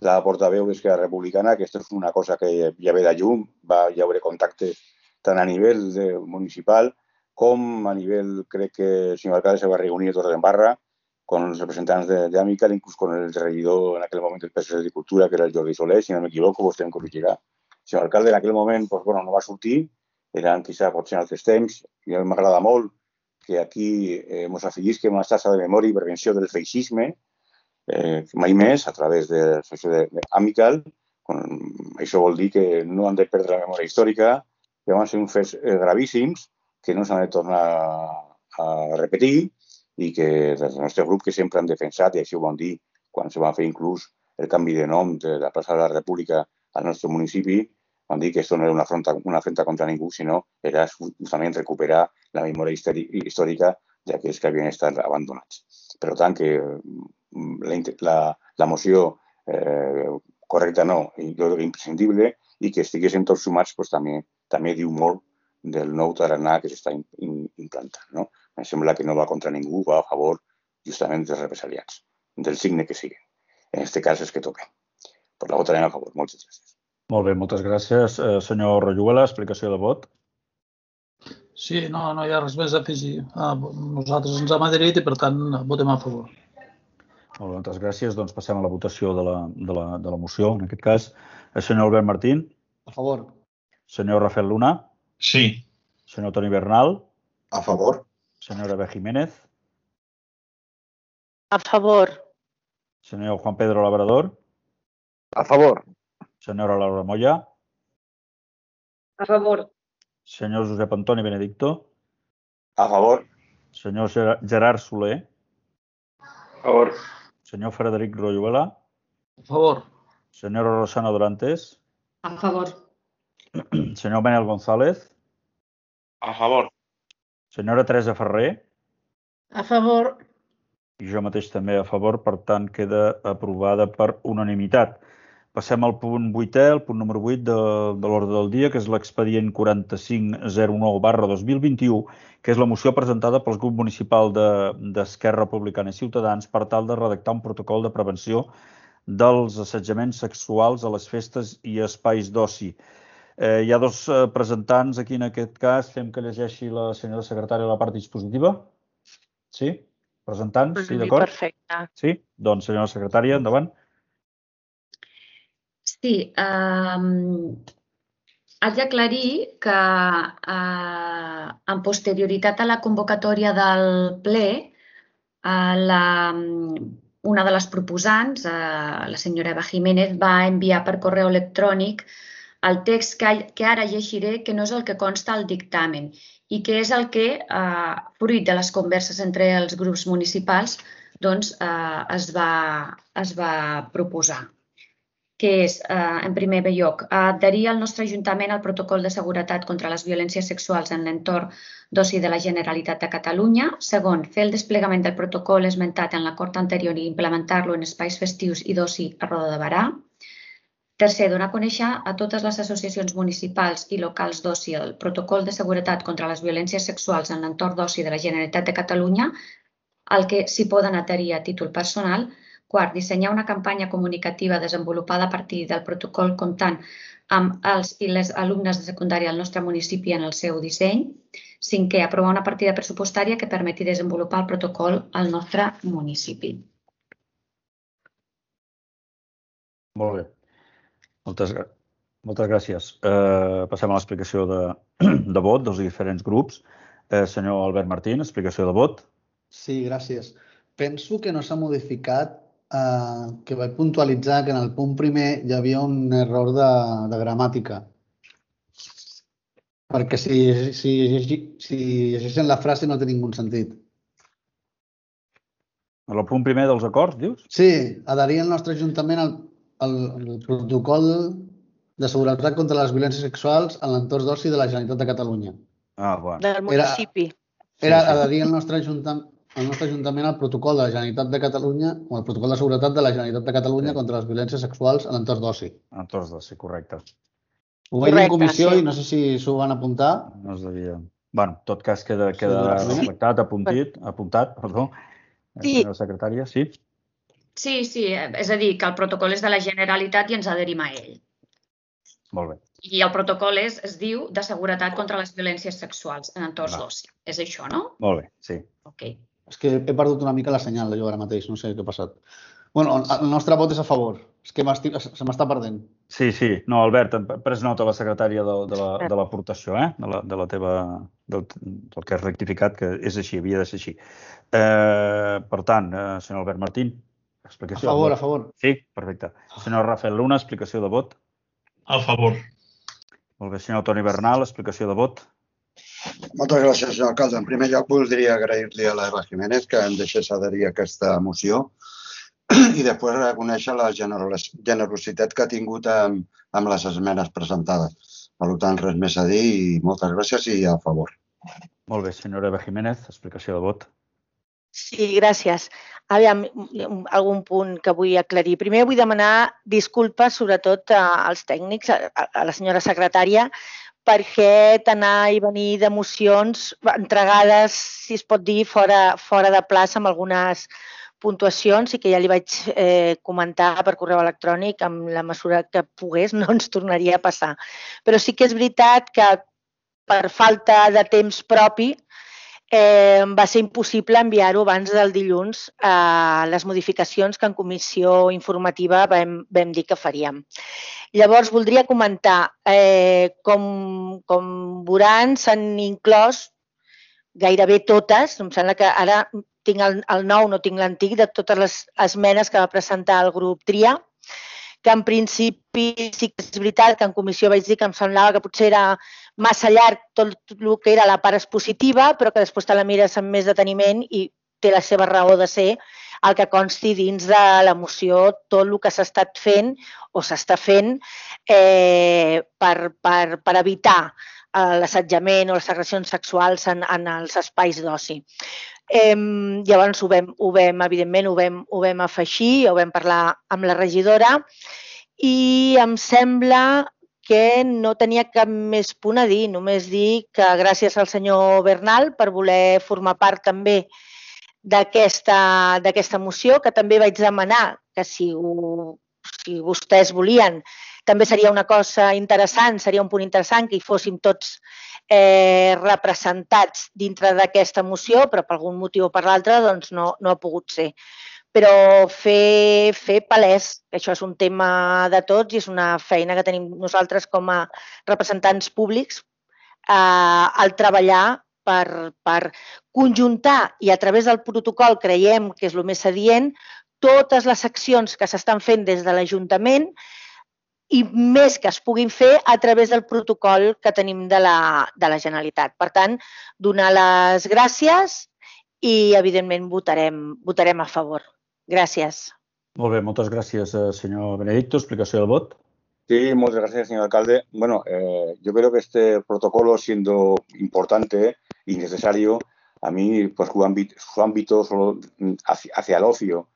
la portaveu d'Esquerra Republicana, que aquesta és una cosa que ja ve de llum, hi haurà contacte tant a nivell municipal com a nivell, crec que el senyor alcalde se va reunir a Torres en Barra con els representants d'Amical, inclús con el regidor en aquell moment del PSC de Cultura, que era el Jordi Soler, si no m'equivoco, vostè em corregirà. El senyor alcalde en aquell moment no va sortir, eren quizá potser en altres temps, i m'agrada molt que aquí ens afegís una xarxa de memòria i prevenció del feixisme, mai més, a través de l'associació d'Amical. Això vol dir que no han de perdre la memòria històrica, que van ser uns fets gravíssims, que no s'han de tornar a repetir i que des del nostre grup que sempre han defensat, i així ho vam dir quan se va fer inclús el canvi de nom de la plaça de la República al nostre municipi, van dir que això no era una afrenta contra ningú, sinó era justament recuperar la memòria històrica d'aquells que havien estat abandonats. Per tant, que la moció correcta no, jo crec que imprescindible, i que estiguéssim tots sumats també diu molt del nou tarannà que s'està implantant. No? Em sembla que no va contra ningú, va a favor justament dels represaliats, del signe que siguin. En aquest cas és que toquen. Per la votarem a favor. Moltes gràcies. Molt bé, moltes gràcies. Senyor Royuela, explicació de vot. Sí, no hi ha res més a afegir. Nosaltres ens hem adherit i, per tant, votem a favor. Molt bé, moltes gràcies. Doncs passem a la votació de la moció, en aquest cas. El senyor Albert Martín. A favor. Senyor Rafael Luna. Sí. Senyor Toni Bernal. A favor. Senyora B. Jiménez. A favor. Senyor Juan Pedro Labrador. A favor. Senyora Laura Moya. A favor. Senyor Josep Antoni Benedicto. A favor. Senyor Gerard Soler. A favor. Senyor Frederic Royuela. A favor. Senyora Rosana Dorantes. A favor. Senyor Manel González. A favor. Senyora Teresa Ferrer. A favor. I jo mateix també a favor, per tant, queda aprovada per unanimitat. Passem al punt 8è, el punt número 8 de l'ordre del dia, que és l'expedient 4509/2021, que és la moció presentada pel grup municipal d'Esquerra Republicana i Ciutadans per tal de redactar un protocol de prevenció dels assetjaments sexuals a les festes i espais d'oci. Hi ha dos presentants aquí en aquest cas. Fem que llegeixi la senyora secretària la part dispositiva. Sí? Presentants? Sí, d'acord? Perfecte. Sí? Doncs, senyora secretària, endavant. Sí, haig d'aclarir que en posterioritat a la convocatòria del ple, una de les proposants, la senyora Eva Jiménez, va enviar per correu electrònic el text que ara llegiré, que no és el que consta al dictamen i que és el que, fruit de les converses entre els grups municipals, doncs es va proposar, que és, en primer lloc, adherir al nostre Ajuntament al protocol de seguretat contra les violències sexuals en l'entorn d'oci de la Generalitat de Catalunya. Segon, fer el desplegament del protocol esmentat en l'acord anterior i implementar-lo en espais festius i d'oci a Roda de Berà. Tercer, donar a conèixer a totes les associacions municipals i locals d'oci el protocol de seguretat contra les violències sexuals en l'entorn d'oci de la Generalitat de Catalunya, al que s'hi poden adherir a títol personal. Quart, dissenyar una campanya comunicativa desenvolupada a partir del protocol comptant amb els i les alumnes de secundària del nostre municipi en el seu disseny. Cinquè, aprovar una partida pressupostària que permeti desenvolupar el protocol al nostre municipi. Molt bé. Moltes gràcies. Passem a l'explicació de vot dels diferents grups. Senyor Albert Martín, explicació de vot. Sí, gràcies. Penso que no s'ha modificat, que vaig puntualitzar que en el punt primer hi havia un error de gramàtica. Perquè si llegeixen la frase no té ningú sentit. En el punt primer dels acords, dius? Sí, adherir al nostre Ajuntament al protocol de seguretat contra les violències sexuals en l'entorn d'oci de la Generalitat de Catalunya. Bueno. Del municipi. Era adherir al nostre Ajuntament al protocol de la Generalitat de Catalunya o al protocol de seguretat de la Generalitat de Catalunya contra les violències sexuals en l'entorn d'oci. Entorn d'oci, correcte. Ho vaig dir en comissió i no sé si s'ho van apuntar. No es devia... Bueno, en tot cas queda reflectat, apuntat, perdó. Senyora secretària, sí? Sí, és a dir, que el protocol és de la Generalitat i ens adherim a ell. Molt bé. I el protocol es diu de seguretat contra les violències sexuals en entorns d'oci. És això, no? Molt bé, sí. Ok. És que he perdut una mica la senyal jo ara mateix, no sé què ha passat. Bueno, el nostre vot és a favor. És que se m'està perdent. Sí. No, Albert, hem pres nota la secretària de l'aportació, de la teva... del que has rectificat, que és així, havia de ser així. Per tant, senyor Albert Martín, explicació. A favor. Sí, perfecte. Senyor Rafael Luna, explicació de vot. A favor. Molt bé, senyor Toni Bernal, explicació de vot. Moltes gràcies, senyor alcalde. En primer lloc, voldria agrair-li a l'Eva Jiménez que em deixés adherir a aquesta moció i després reconèixer la generositat que ha tingut amb les esmenes presentades. Per tant, res més a dir i moltes gràcies i a favor. Molt bé, senyora Eva Jiménez, explicació de vot. Sí, gràcies. Aviam, algun punt que vull aclarir. Primer vull demanar disculpes, sobretot als tècnics, a la senyora secretària, perquè anar i venir de mocions entregades, si es pot dir, fora de plaça amb algunes puntuacions i que ja li vaig comentar per correu electrònic amb la mesura que pogués no ens tornaria a passar. Però sí que és veritat que per falta de temps propi va ser impossible enviar-ho abans del dilluns a les modificacions que en comissió informativa vam dir que faríem. Llavors, voldria comentar, com veuran, s'han inclòs gairebé totes, em sembla que ara tinc el nou, no tinc l'antic, de totes les esmenes que va presentar el grup TRIA, que en principi sí que és veritat que en comissió vaig dir que em semblava que potser era massa llarg tot el que era la part expositiva, però que després te la mires amb més deteniment i té la seva raó de ser el que consti dins de la moció tot el que s'ha estat fent o s'està fent per evitar l'assetjament o les agressions sexuals en els espais d'oci. Llavors, evidentment, ho vam afegir, ho vam parlar amb la regidora i em sembla que no tenia cap més punt a dir, només dir que gràcies al senyor Bernal per voler formar part també d'aquesta moció, que també vaig demanar que si vostès volien, també seria una cosa interessant, seria un punt interessant que hi fóssim tots representats dintre d'aquesta moció, però per algun motiu o per l'altre doncs no ha pogut ser. Però fer palès que això és un tema de tots i és una feina que tenim nosaltres com a representants públics al treballar per conjuntar i a través del protocol creiem que és el més adient totes les accions que s'estan fent des de l'Ajuntament i més que es puguin fer a través del protocol que tenim de la Generalitat. Per tant, donar les gràcies i, evidentment, votarem a favor. Gràcies. Molt bé, moltes gràcies, senyor Benedicto. Explicació del vot. Sí, muchas gracias, señor alcalde. Bueno, yo creo que este protocolo, siendo importante y necesario, a mí, pues su ámbito solo hacia el ocio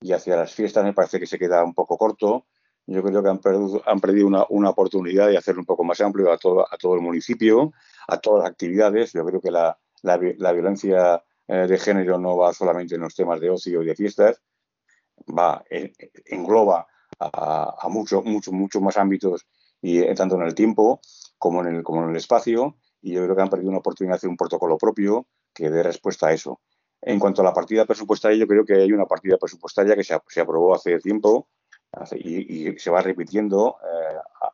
y hacia las fiestas me parece que se queda un poco corto. Yo creo que han perdido una oportunidad de hacerlo un poco más amplio a todo el municipio, a todas las actividades. Yo creo que la violencia de género no va solamente en los temas de ocio y de fiestas, engloba a muchos más ámbitos, y tanto en el tiempo como en el espacio, y yo creo que han perdido una oportunidad de hacer un protocolo propio que dé respuesta a eso. En cuanto a la partida presupuestaria, yo creo que hay una partida presupuestaria que se aprobó hace tiempo y se va repitiendo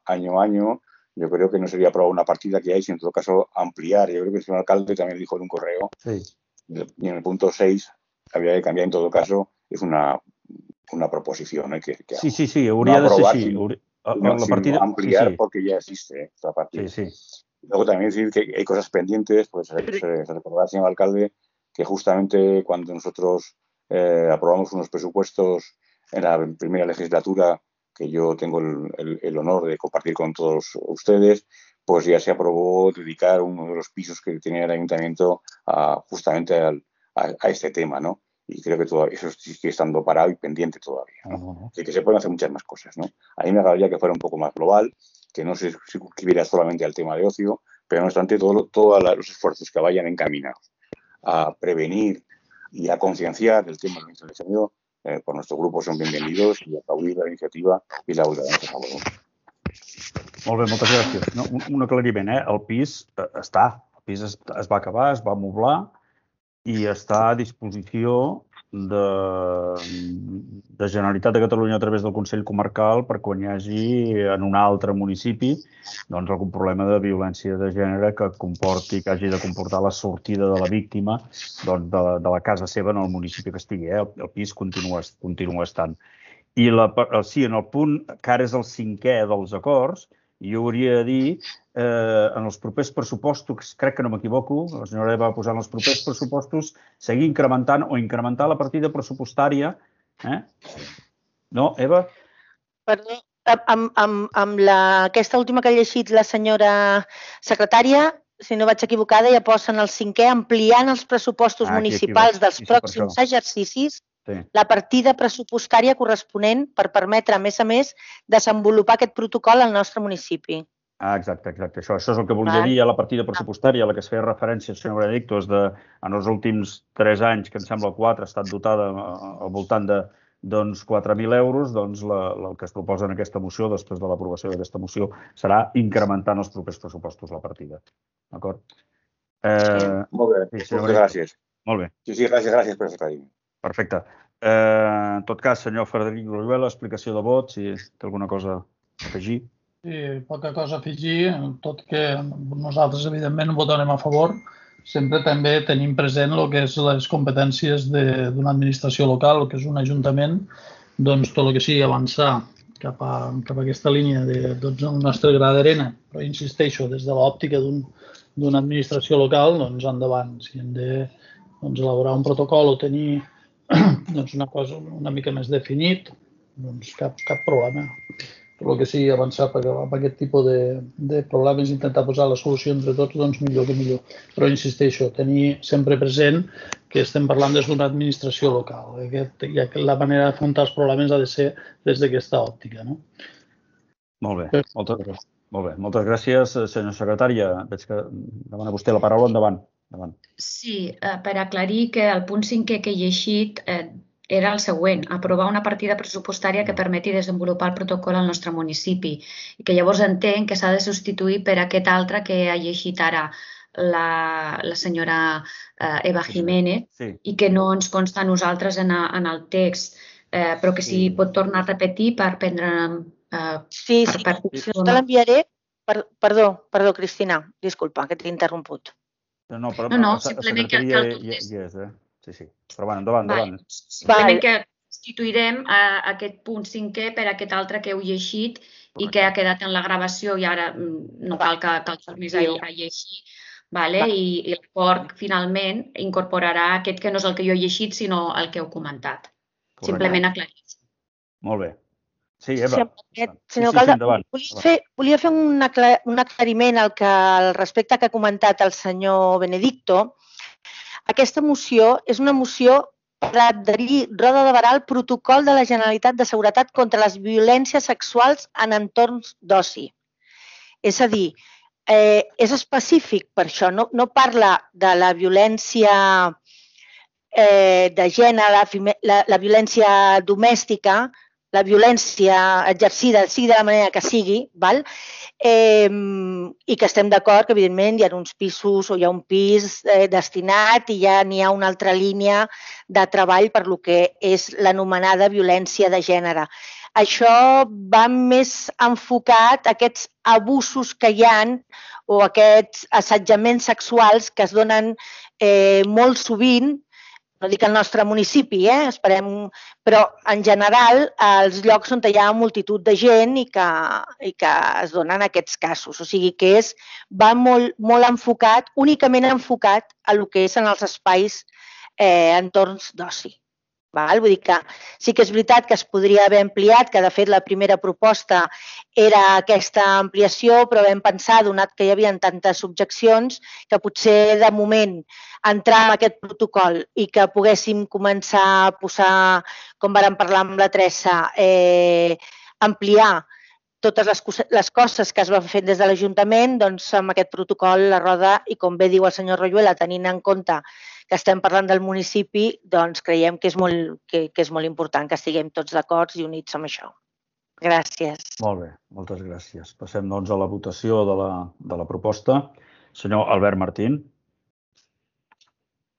año a año. Yo creo que no sería aprobar una partida que hay, sino en todo caso ampliar. Yo creo que el señor alcalde también dijo en un correo, sí. Y en el punto 6 había que cambiar en todo caso, es una proposición. Sí, hauria de ser així. La partida, ampliar porque ya existe esta partida. Sí. Luego también decir que hay cosas pendientes, pues se recordará al señor alcalde que justamente cuando nosotros aprobamos unos presupuestos en la primera legislatura, que yo tengo el honor de compartir con todos ustedes, pues ya se aprobó dedicar uno de los pisos que tenía el ayuntamiento justamente a este tema, ¿no? Y creo que todo eso sigue estando parado y pendiente todavía, ¿no? Así que se pueden hacer muchas más cosas, ¿no? A mí me agradaría que fuera un poco más global, que no se circunscribiera solamente al tema de ocio, pero no obstante todos los esfuerzos que vayan encaminados a prevenir y a concienciar el tema del incendio, por nuestro grupo son bienvenidos, y aplaudir la iniciativa i la votarem a favor. Molt bé, moltes gràcies. No, un aclariment, el pis està, el pis es va acabar, es va moblar i està a disposició de Generalitat de Catalunya a través del Consell Comarcal per quan hi hagi en un altre municipi algun problema de violència de gènere que comporti, que hagi de comportar la sortida de la víctima de la casa seva en el municipi que estigui. El pis continua estant. I sí, en el punt que ara és el 5è dels acords, jo hauria de dir, en els propers pressupostos, crec que no m'equivoco, la senyora va posar en els propers pressupostos, seguir incrementant o incrementar la partida pressupostària No, Eva? Perdó, amb aquesta última que ha llegit la senyora secretària, si no vaig equivocada, ja posen el 5è ampliant els pressupostos municipals dels pròxims exercicis la partida pressupostària corresponent per permetre, a més, desenvolupar aquest protocol al nostre municipi. Exacte. Això és el que volia dir a la partida pressupostària, a la que es feia referència, senyor Benedicto, és en els últims 3 anys, que em sembla 4, ha estat dotada al voltant de 4.000 euros, doncs el que es proposa en aquesta moció, després de l'aprovació d'aquesta moció, serà incrementar en els propers pressupostos la partida. D'acord? Molt bé, gràcies. Molt bé. Sí, gràcies per l'aclariment. Perfecte. En tot cas, senyor Frederic Royuela, explicació de vot, si té alguna cosa a afegir. Sí, poca cosa a afegir, tot que nosaltres, evidentment, votarem a favor. Sempre també tenim present el que és les competències d'una administració local, el que és un ajuntament, doncs tot el que sigui avançar cap a aquesta línia del nostre gra d'arena, però insisteixo, des de l'òptica d'una administració local, doncs endavant. Si hem de elaborar un protocol o tenir una cosa una mica més definit, doncs cap problema. Tot el que sigui avançar amb aquest tipus de problemes, intentar posar la solució entre tots, doncs millor que millor. Però insisteixo, tenir sempre present que estem parlant des d'una administració local. La manera d'afrontar els problemes ha de ser des d'aquesta òptica. Molt bé. Moltes gràcies, senyora secretària. Veig que demana vostè la paraula. Endavant. Sí, per aclarir que el punt 5è que he llegit era el següent, aprovar una partida pressupostària que permeti desenvolupar el protocol al nostre municipi i que llavors entenc que s'ha de substituir per aquest altre que ha llegit ara la senyora Eva Jiménez i que no ens consta a nosaltres en el text, però que si pot tornar a repetir per prendre... Sí, si no te l'enviaré... Perdó, Cristina, disculpa, que t'he interromput. No, simplement que cal tot és. Sí. Però bueno, endavant. Simplement que substituirem aquest punt 5è per aquest altre que heu llegit i que ha quedat en la gravació i ara no cal que el tornis a llegir. I l'acord finalment incorporarà aquest que no és el que jo he llegit, sinó el que heu comentat. Simplement aclarir-ho. Molt bé. Sí, Eva. Senyor alcalde, volia fer un aclariment al respecte que ha comentat el senyor Benedicto. Aquesta moció és una moció per adherir Roda de Barà al protocol de la Generalitat de Seguretat contra les violències sexuals en entorns d'oci. És a dir, és específic per això, no parla de la violència de gènere, la violència domèstica, la violència exercida, sigui de la manera que sigui, i que estem d'acord que, evidentment, hi ha uns pisos o hi ha un pis destinat i ja n'hi ha una altra línia de treball per lo que és l'anomenada violència de gènere. Això va més enfocat a aquests abusos que hi ha o aquests assetjaments sexuals que es donen molt sovint, no dic el nostre municipi, esperem, però en general als llocs on hi ha multitud de gent i que es donen aquests casos. O sigui que va molt enfocat, únicament enfocat a el que és en els espais entorns d'oci. Vull dir que sí que és veritat que es podria haver ampliat, que de fet la primera proposta era aquesta ampliació, però vam pensar, donat que hi havia tantes objeccions, que potser de moment entrar en aquest protocol i que poguéssim començar a posar, com vàrem parlar amb la Teresa, ampliar totes les coses que es van fer des de l'Ajuntament, doncs amb aquest protocol la Roda, i com bé diu el senyor Royuela, tenint en compte que estem parlant del municipi, doncs creiem que és molt important que estiguem tots d'acord i units amb això. Gràcies. Molt bé, moltes gràcies. Passem doncs a la votació de la proposta. Senyor Albert Martín.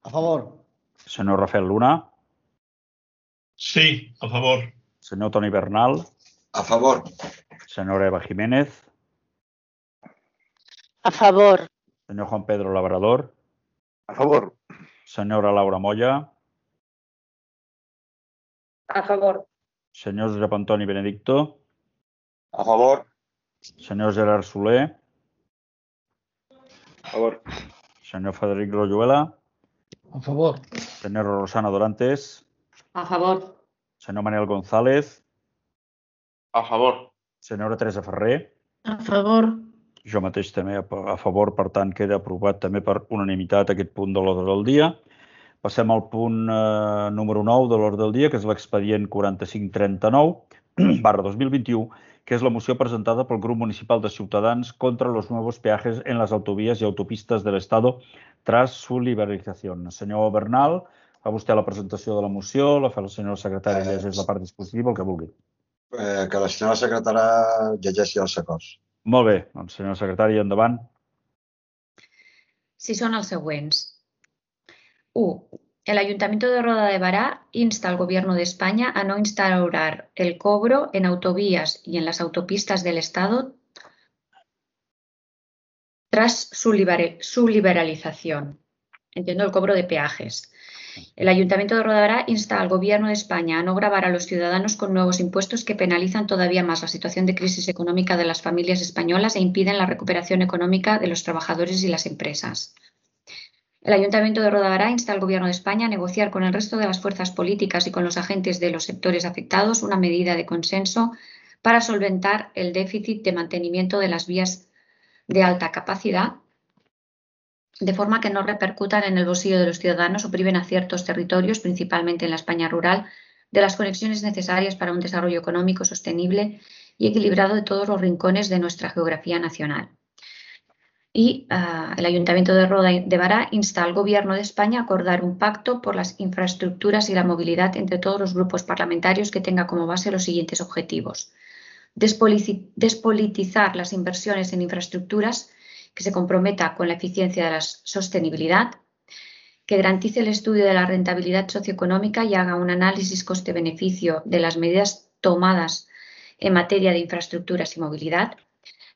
A favor. Senyor Rafael Luna. Sí, a favor. Senyor Toni Bernal. A favor. Senyora Eva Jiménez. A favor. Senyor Juan Pedro Labrador. A favor. Senyora Laura Moya. A favor. Senyor Josep Antoni Benedicto. A favor. Senyor Gerard Soler. A favor. Senyor Frederic Royuela. A favor. Senyora Rosana Dorantes. A favor. Senyor Manel González. A favor. Senyora Teresa Ferrer. A favor. Jo mateix també a favor, per tant, queda aprovat també per unanimitat aquest punt de l'ordre del dia. Passem al punt número 9 de l'ordre del dia, que és l'expedient 4539/2021, que és la moció presentada pel grup municipal de Ciutadans contra los nuevos peajes en las autovías y autopistas del Estado tras su liberalización. Senyor Bernal, fa vostè la presentació de la moció, la fa el senyor secretari, llegeix la part dispositiva, el que vulgui. Que la senyora secretària llegeixi els acords. Molt bé, doncs senyor secretari, endavant. Sí, són els següents. 1. El Ayuntamiento de Roda de Bará insta al Gobierno de España a no instaurar el cobro en autovías y en las autopistas del Estado tras su liberalización. Entiendo el cobro de peajes. El Ayuntamiento de Roda de Bará insta al Gobierno de España a no gravar a los ciudadanos con nuevos impuestos que penalizan todavía más la situación de crisis económica de las familias españolas e impiden la recuperación económica de los trabajadores y las empresas. El Ayuntamiento de Roda de Bará insta al Gobierno de España a negociar con el resto de las fuerzas políticas y con los agentes de los sectores afectados una medida de consenso para solventar el déficit de mantenimiento de las vías de alta capacidad, de forma que no repercutan en el bolsillo de los ciudadanos o priven a ciertos territorios, principalmente en la España rural, de las conexiones necesarias para un desarrollo económico sostenible y equilibrado de todos los rincones de nuestra geografía nacional. Y el Ayuntamiento de Roda de Bará insta al Gobierno de España a acordar un pacto por las infraestructuras y la movilidad entre todos los grupos parlamentarios que tenga como base los siguientes objetivos. Despolitizar las inversiones en infraestructuras, que se comprometa con la eficiencia de la sostenibilidad, que garantice el estudio de la rentabilidad socioeconómica y haga un análisis coste-beneficio de las medidas tomadas en materia de infraestructuras y movilidad,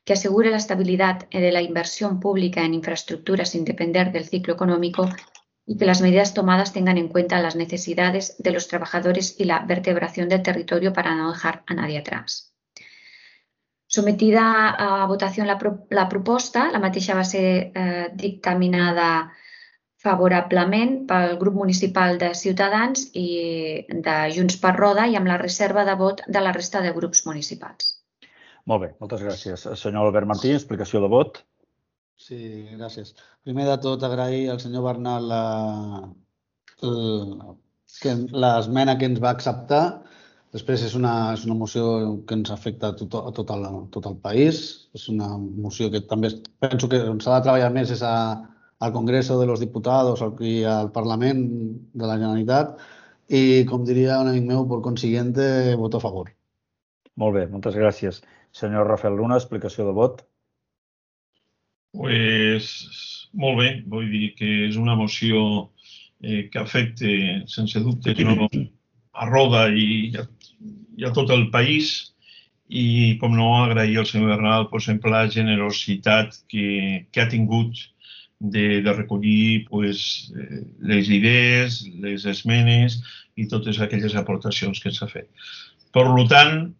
que asegure la estabilidad de la inversión pública en infraestructuras sin depender del ciclo económico y que las medidas tomadas tengan en cuenta las necesidades de los trabajadores y la vertebración del territorio para no dejar a nadie atrás. Sometida a votació la proposta, la mateixa va ser dictaminada favorablement pel grup municipal de Ciutadans i de Junts per Roda i amb la reserva de vot de la resta de grups municipals. Molt bé, moltes gràcies. Senyor Albert Martí, explicació de vot. Sí, gràcies. Primer de tot, agrair al senyor Bernal l'esmena que ens va acceptar. Després és una moció que ens afecta a tot el país. És una moció que també penso que s'ha de treballar més és al Congreso de los Diputados i al Parlament de la Generalitat. I, com diria un amic meu, por consiguiente, voto a favor. Molt bé, moltes gràcies. Senyor Rafael Luna, explicació de vot. Pues, molt bé, vull dir que és una moció que afecta, sense dubte, a Roda i a tot el país i, com no, agrair al senyor Bernal, per exemple, la generositat que ha tingut de recollir les idees, les esmenes i totes aquelles aportacions que s'ha fet. Per tant,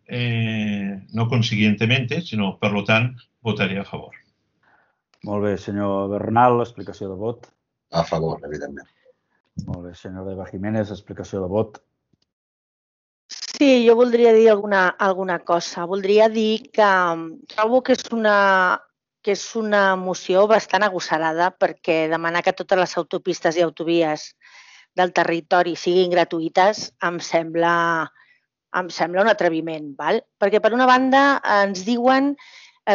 no consiguientemente, sinó per tant, votaré a favor. Molt bé, senyor Bernal, explicació de vot. A favor, evidentment. Molt bé, senyora Eva Jiménez, explicació de vot. Sí, jo voldria dir alguna cosa. Voldria dir que trobo que és una moció bastant agosarada perquè demanar que totes les autopistes i autovies del territori siguin gratuïtes em sembla un atreviment, val? Perquè per una banda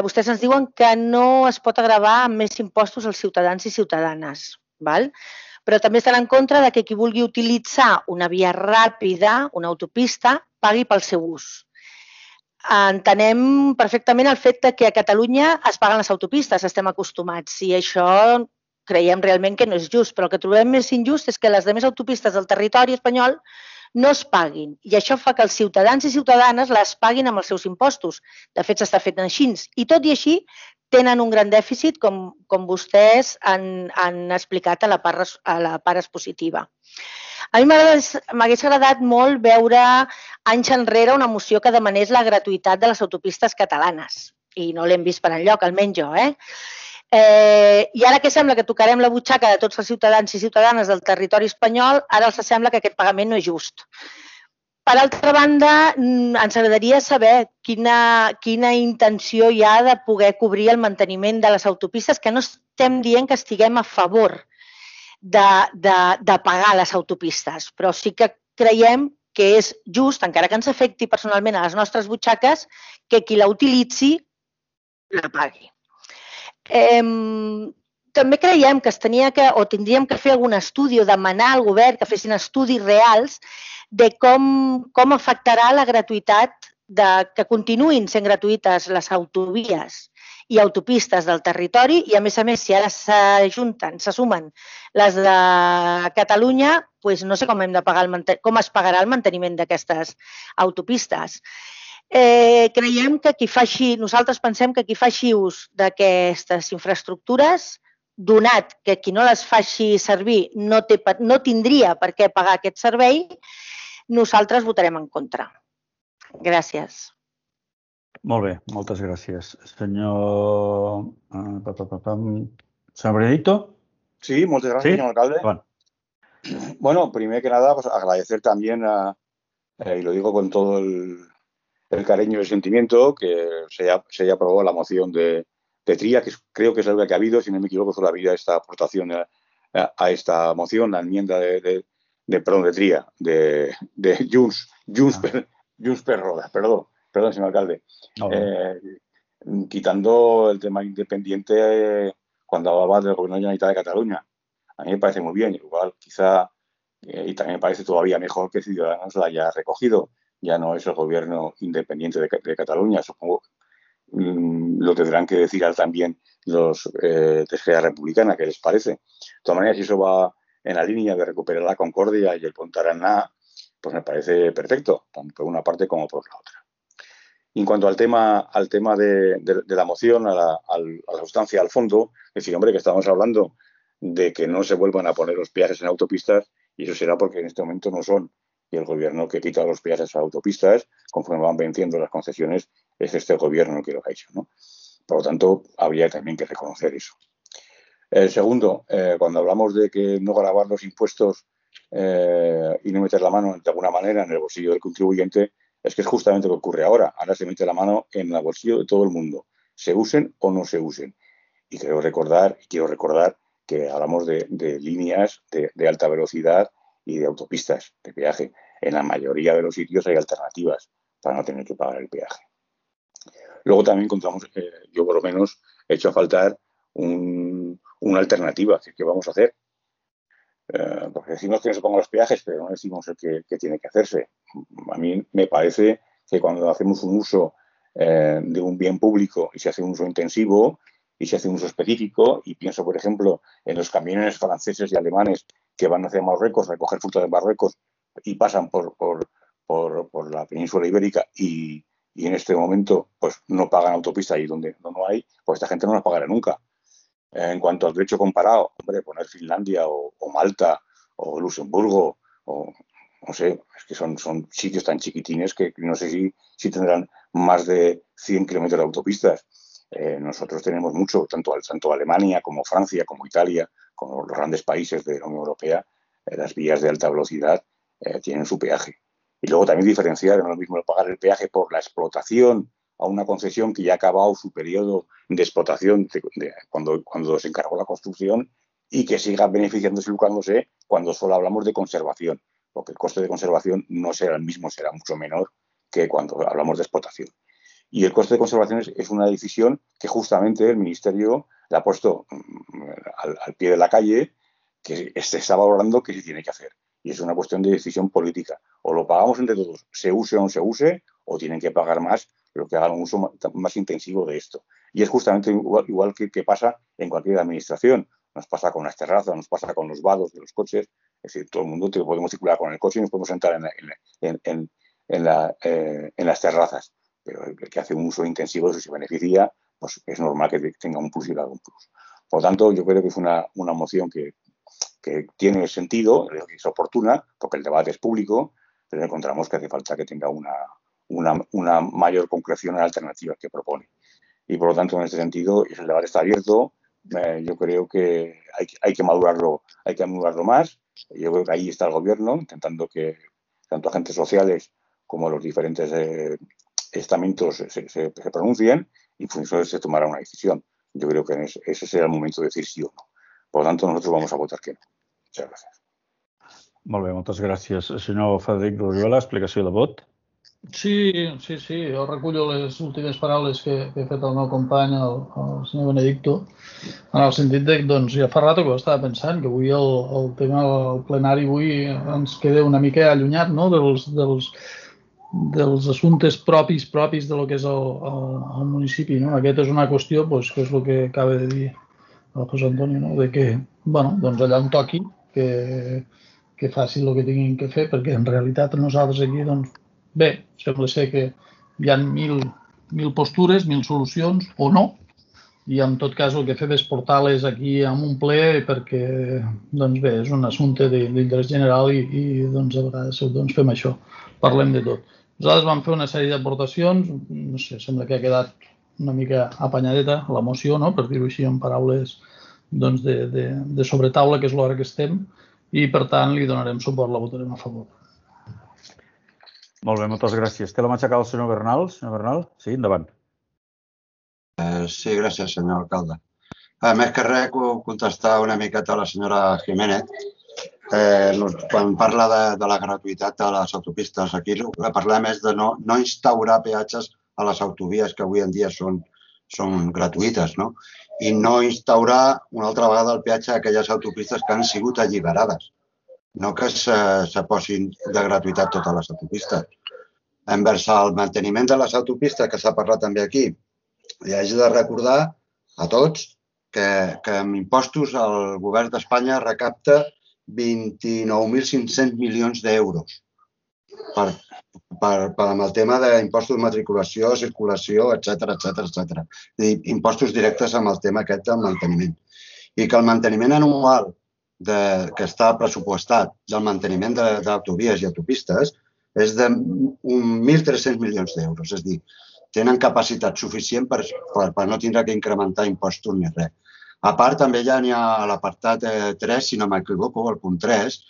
vostès ens diuen que no es pot agravar amb més impostos als ciutadans i ciutadanes, val? Però també estan en contra de que qui vulgui utilitzar una via ràpida, una autopista, pagui pel seu ús. Entenem perfectament el fet que a Catalunya es paguen les autopistes, estem acostumats, i això creiem realment que no és just, però el que trobem més injust és que les altres autopistes del territori espanyol no es paguin, i això fa que els ciutadans i ciutadanes les paguin amb els seus impostos. De fet, s'està fent així. I tot i així, tenen un gran dèficit, com vostès han explicat a la part expositiva. A mi m'hagués agradat molt veure anys enrere una moció que demanés la gratuïtat de les autopistes catalanes, i no l'hem vist per enlloc, almenys jo. I ara que sembla que tocarem la butxaca de tots els ciutadans i ciutadanes del territori espanyol, ara els sembla que aquest pagament no és just. Per altra banda, ens agradaria saber quina intenció hi ha de poder cobrir el manteniment de les autopistes, que no estem dient que estiguem a favor de pagar les autopistes, però sí que creiem que és just, encara que ens afecti personalment a les nostres butxaques, que qui la utilitzi la pagui. També creiem que tindríem que fer algun estudi o demanar al govern que fessin estudis reals de com afectarà la gratuïtat, que continuïn sent gratuïtes les autovies i autopistes del territori i, a més, si ara se sumen les de Catalunya, doncs no sé com es pagarà el manteniment d'aquestes autopistes. Creiem que nosaltres pensem que qui faci ús d'aquestes infraestructures, donat que qui no les faci servir no tindria per què pagar aquest servei, nosaltres votarem en contra. Gràcies. Molt bé, moltes gràcies. Senyor Benedicto. Sí, muchas gracias, señor alcalde. Bueno, primero que nada, pues agradecer también, y lo digo con todo el cariño y el sentimiento, que se haya aprobado la moción de Tria, que creo que es la única que ha habido, si no me equivoco, solo ha habido esta aportación a esta moción, la enmienda de Tria, de Junts per Roda, perdón, señor alcalde. Quitando el tema independiente cuando hablaba del gobierno de la Generalitat de Cataluña. A mí me parece muy bien, igual quizá, y también me parece todavía mejor que Ciudadanos la haya recogido. Ya no es el gobierno independiente de Cataluña, supongo. Lo tendrán que decir también los de Esquerra Republicana, ¿qué les parece? De todas maneras, si eso va en la línea de recuperar la concordia y el Pontarana, pues me parece perfecto, tanto por una parte como por la otra. Y en cuanto al tema de la moción, a la sustancia, al fondo, es decir, hombre, que estamos hablando de que no se vuelvan a poner los peajes en autopistas, y eso será porque en este momento no son. Y el gobierno que quita los peajes a autopistas, conforme van venciendo las concesiones, es este gobierno que lo ha hecho, ¿no? Por lo tanto, habría también que reconocer eso. El segundo, cuando hablamos de que no gravar los impuestos y no meter la mano de alguna manera en el bolsillo del contribuyente, es que es justamente lo que ocurre ahora. Ahora se mete la mano en el bolsillo de todo el mundo, se usen o no se usen. Y quiero recordar que hablamos de líneas de alta velocidad y de autopistas de peaje. En la mayoría de los sitios hay alternativas para no tener que pagar el peaje. Luego también encontramos, yo por lo menos he hecho a faltar una alternativa. ¿Qué vamos a hacer? Porque decimos que no se pongan los peajes, pero no decimos el que tiene que hacerse. A mí me parece que cuando hacemos un uso de un bien público y se hace un uso intensivo y se hace un uso específico, y pienso, por ejemplo, en los camiones franceses y alemanes que van hacia Marruecos, recoger fruta de Marruecos y pasan por la península ibérica y en este momento pues no pagan autopista ahí donde no hay, pues esta gente no la pagará nunca. En cuanto al derecho comparado, hombre, poner Finlandia o Malta o Luxemburgo o no sé, es que son sitios tan chiquitines que no sé si tendrán más de 100 kilómetros de autopistas. Nosotros tenemos mucho, tanto Alemania como Francia, como Italia, como los grandes países de la Unión Europea, las vías de alta velocidad tienen su peaje. Y luego también diferenciar, no es lo mismo pagar el peaje por la explotación a una concesión que ya ha acabado su periodo de explotación cuando se encargó la construcción y que siga beneficiándose y lucrándose cuando solo hablamos de conservación, porque el coste de conservación no será el mismo, será mucho menor que cuando hablamos de explotación. Y el coste de conservación es una decisión que justamente el Ministerio le ha puesto al pie de la calle, que se está valorando qué se tiene que hacer. Y es una cuestión de decisión política. O lo pagamos entre todos, se use o no se use, o tienen que pagar más los que hagan un uso más intensivo de esto. Y es justamente igual que pasa en cualquier administración. Nos pasa con las terrazas, nos pasa con los vados de los coches. Es decir, todo el mundo podemos circular con el coche y nos podemos sentar en las terrazas. Pero el que hace un uso intensivo de eso se beneficia, pues es normal que tenga un plus y haga un plus. Por lo tanto, yo creo que es una moción que tiene sentido, que es oportuna, porque el debate es público, pero encontramos que hace falta que tenga una mayor concreción en alternativas que propone. Y por lo tanto, en este sentido, el debate está abierto. Yo creo que hay que madurarlo más. Yo creo que ahí está el gobierno intentando que tanto agentes sociales como los diferentes estamentos se pronuncien y en función se tomará una decisión. Yo creo que ese será el momento de decir sí o no. Por lo tanto, nosotros vamos a votar que no. Muchas gracias. Molt bé, moltes gràcies. Senyor Frederic Roriola, explicació de vot. Sí, jo recullo les últimes paraules que ha fet el meu company, el senyor Benedicto, en el sentit de, doncs, ja fa rato que ho estava pensant, que avui el tema del plenari avui ens queda una mica allunyat, no?, dels assumptes propis de lo que és el municipi, no? Aquesta és una qüestió, doncs, que és el que acaba de dir el José Antonio, no?, de que, bueno, doncs allà on toqui, que facin el que tinguin que fer, perquè en realitat nosaltres aquí, doncs, bé, sembla ser que hi ha mil postures, 1000 solucions, o no, i en tot cas el que fem és portar-les aquí en un ple perquè, doncs bé, és un assumpte d'interès general i doncs a vegades doncs, fem això, parlem de tot. Nosaltres vam fer una sèrie d'aportacions, no sé, sembla que ha quedat una mica apanyadeta la moció, no?, per dir-ho així en paraules doncs, de sobretaula, que és l'hora que estem, i per tant li donarem suport, la votarem a favor. Molt bé, moltes gràcies. Té la mà aixecada el senyor Bernal. Senyor Bernal, sí, endavant. Sí, gràcies, senyor alcalde. Més que res, contestar una miqueta a la senyora Jiménez. Quan parla de la gratuïtat de les autopistes, aquí el que parlem és de no instaurar peatges a les autovies que avui en dia són gratuïtes, no? I no instaurar una altra vegada el peatge a aquelles autopistes que han sigut alliberades. No que se posin de gratuïtat totes les autopistes. Envers el manteniment de les autopistes, que s'ha parlat també aquí, i haig de recordar a tots que amb impostos el govern d'Espanya recapta 29.500 milions d'euros amb el tema d'impostos de matriculació, circulació, etc. Impostos directes amb el tema aquest del manteniment. I que el manteniment anual que està pressupostat del manteniment d'autovies i autopistes és de 1.300 milions d'euros. És a dir, tenen capacitat suficient per no tindre que incrementar impostos ni res. A part, també ja n'hi ha a l'apartat 3, si no m'equivoco, el punt 3,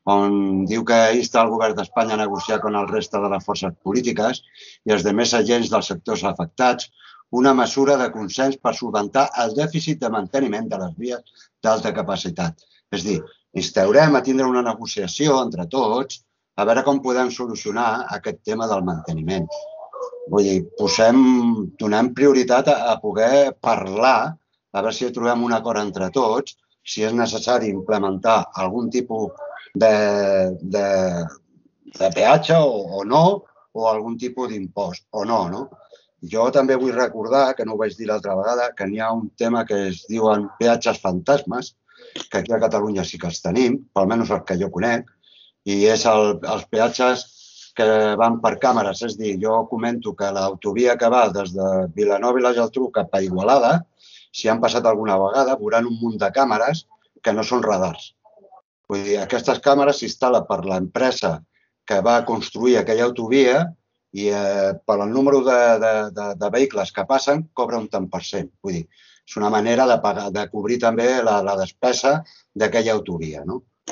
on diu que insta el govern d'Espanya a negociar amb el reste de les forces polítiques i els altres agents dels sectors afectats una mesura de consens per solventar el dèficit de manteniment de les vies d'alta capacitat. És a dir, instaurem a tindre una negociació entre tots a veure com podem solucionar aquest tema del manteniment. Vull dir, donem prioritat a poder parlar, a veure si trobem un acord entre tots, si és necessari implementar algun tipus de peatge o no, o algun tipus d'impost o no. Jo també vull recordar, que no ho vaig dir l'altra vegada, que n'hi ha un tema que es diuen peatges fantasmes, que aquí a Catalunya sí que els tenim, almenys els que jo conec, i és els peatges que van per càmeres. És a dir, jo comento que l'autovia que va des de Vilanova i la Geltrú cap a Igualada, si han passat alguna vegada, veuran un munt de càmeres que no són radars. Vull dir, aquestes càmeres s'instal·len per l'empresa que va construir aquella autovia i per al número de vehicles que passen cobra un tant per cent. Vull dir, és una manera de cobrir també la despesa d'aquella autovia.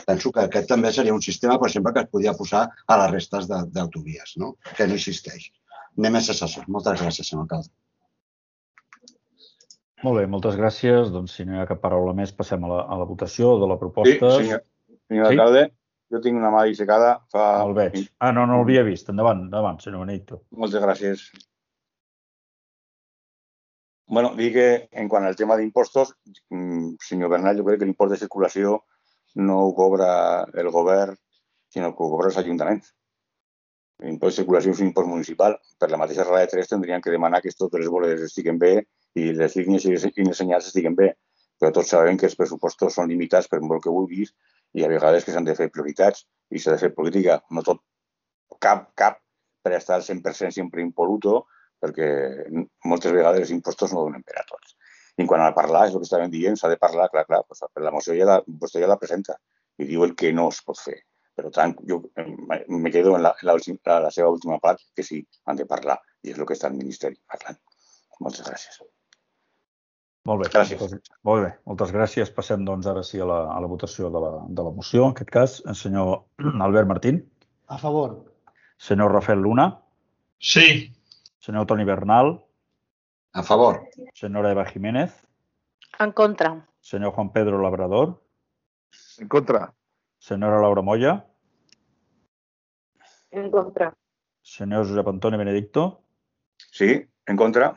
Penso que aquest també seria un sistema, per exemple, que es podia posar a les restes d'autovies, que no existeix. Anem a cessació. Moltes gràcies, senyor alcalde. Molt bé, moltes gràcies. Doncs si no hi ha cap paraula més, passem a la votació de la proposta. Sí, senyor alcalde, jo tinc una mà dissecada fa... El veig. No l'havia vist. Endavant, senyor Benedicto. Moltes gràcies. Bueno, dir que en quant al tema d'impostos, senyor Bernal, jo crec que l'impost de circulació no ho cobra el govern, sinó que ho cobra els ajuntaments. L'impost de circulació és un impost municipal. Per la mateixa raó de 3 tindrien que demanar que totes les boles estiguen bé i les línies i els senyals estiguen bé. Però tots sabem que els pressupostos són limitats per molt que vulguis i a vegades que s'han de fer prioritats i s'ha de fer política. No tot, cap per estar al 100% sempre impoluto, perquè moltes vegades els impostos no donen per a tots. I en quant a parlar, és el que estàvem dient, s'ha de parlar, clar, per la moció vostè ja la presenta i diu el que no es pot fer. Per tant, jo me quedo en la seva última part, que sí, han de parlar, i és el que està el Ministeri parlant. Moltes gràcies. Molt bé. Gràcies. Molt bé, moltes gràcies. Passem, doncs, ara sí a la votació de la moció. En aquest cas, el senyor Albert Martín. A favor. Senyor Rafael Luna. Sí. Senyor Toni Bernal. A favor. Senyora Eva Jiménez. En contra. Senyor Juan Pedro Labrador. En contra. Senyora Laura Moya. En contra. Senyor Josep Antoni Benedicto. Sí, en contra.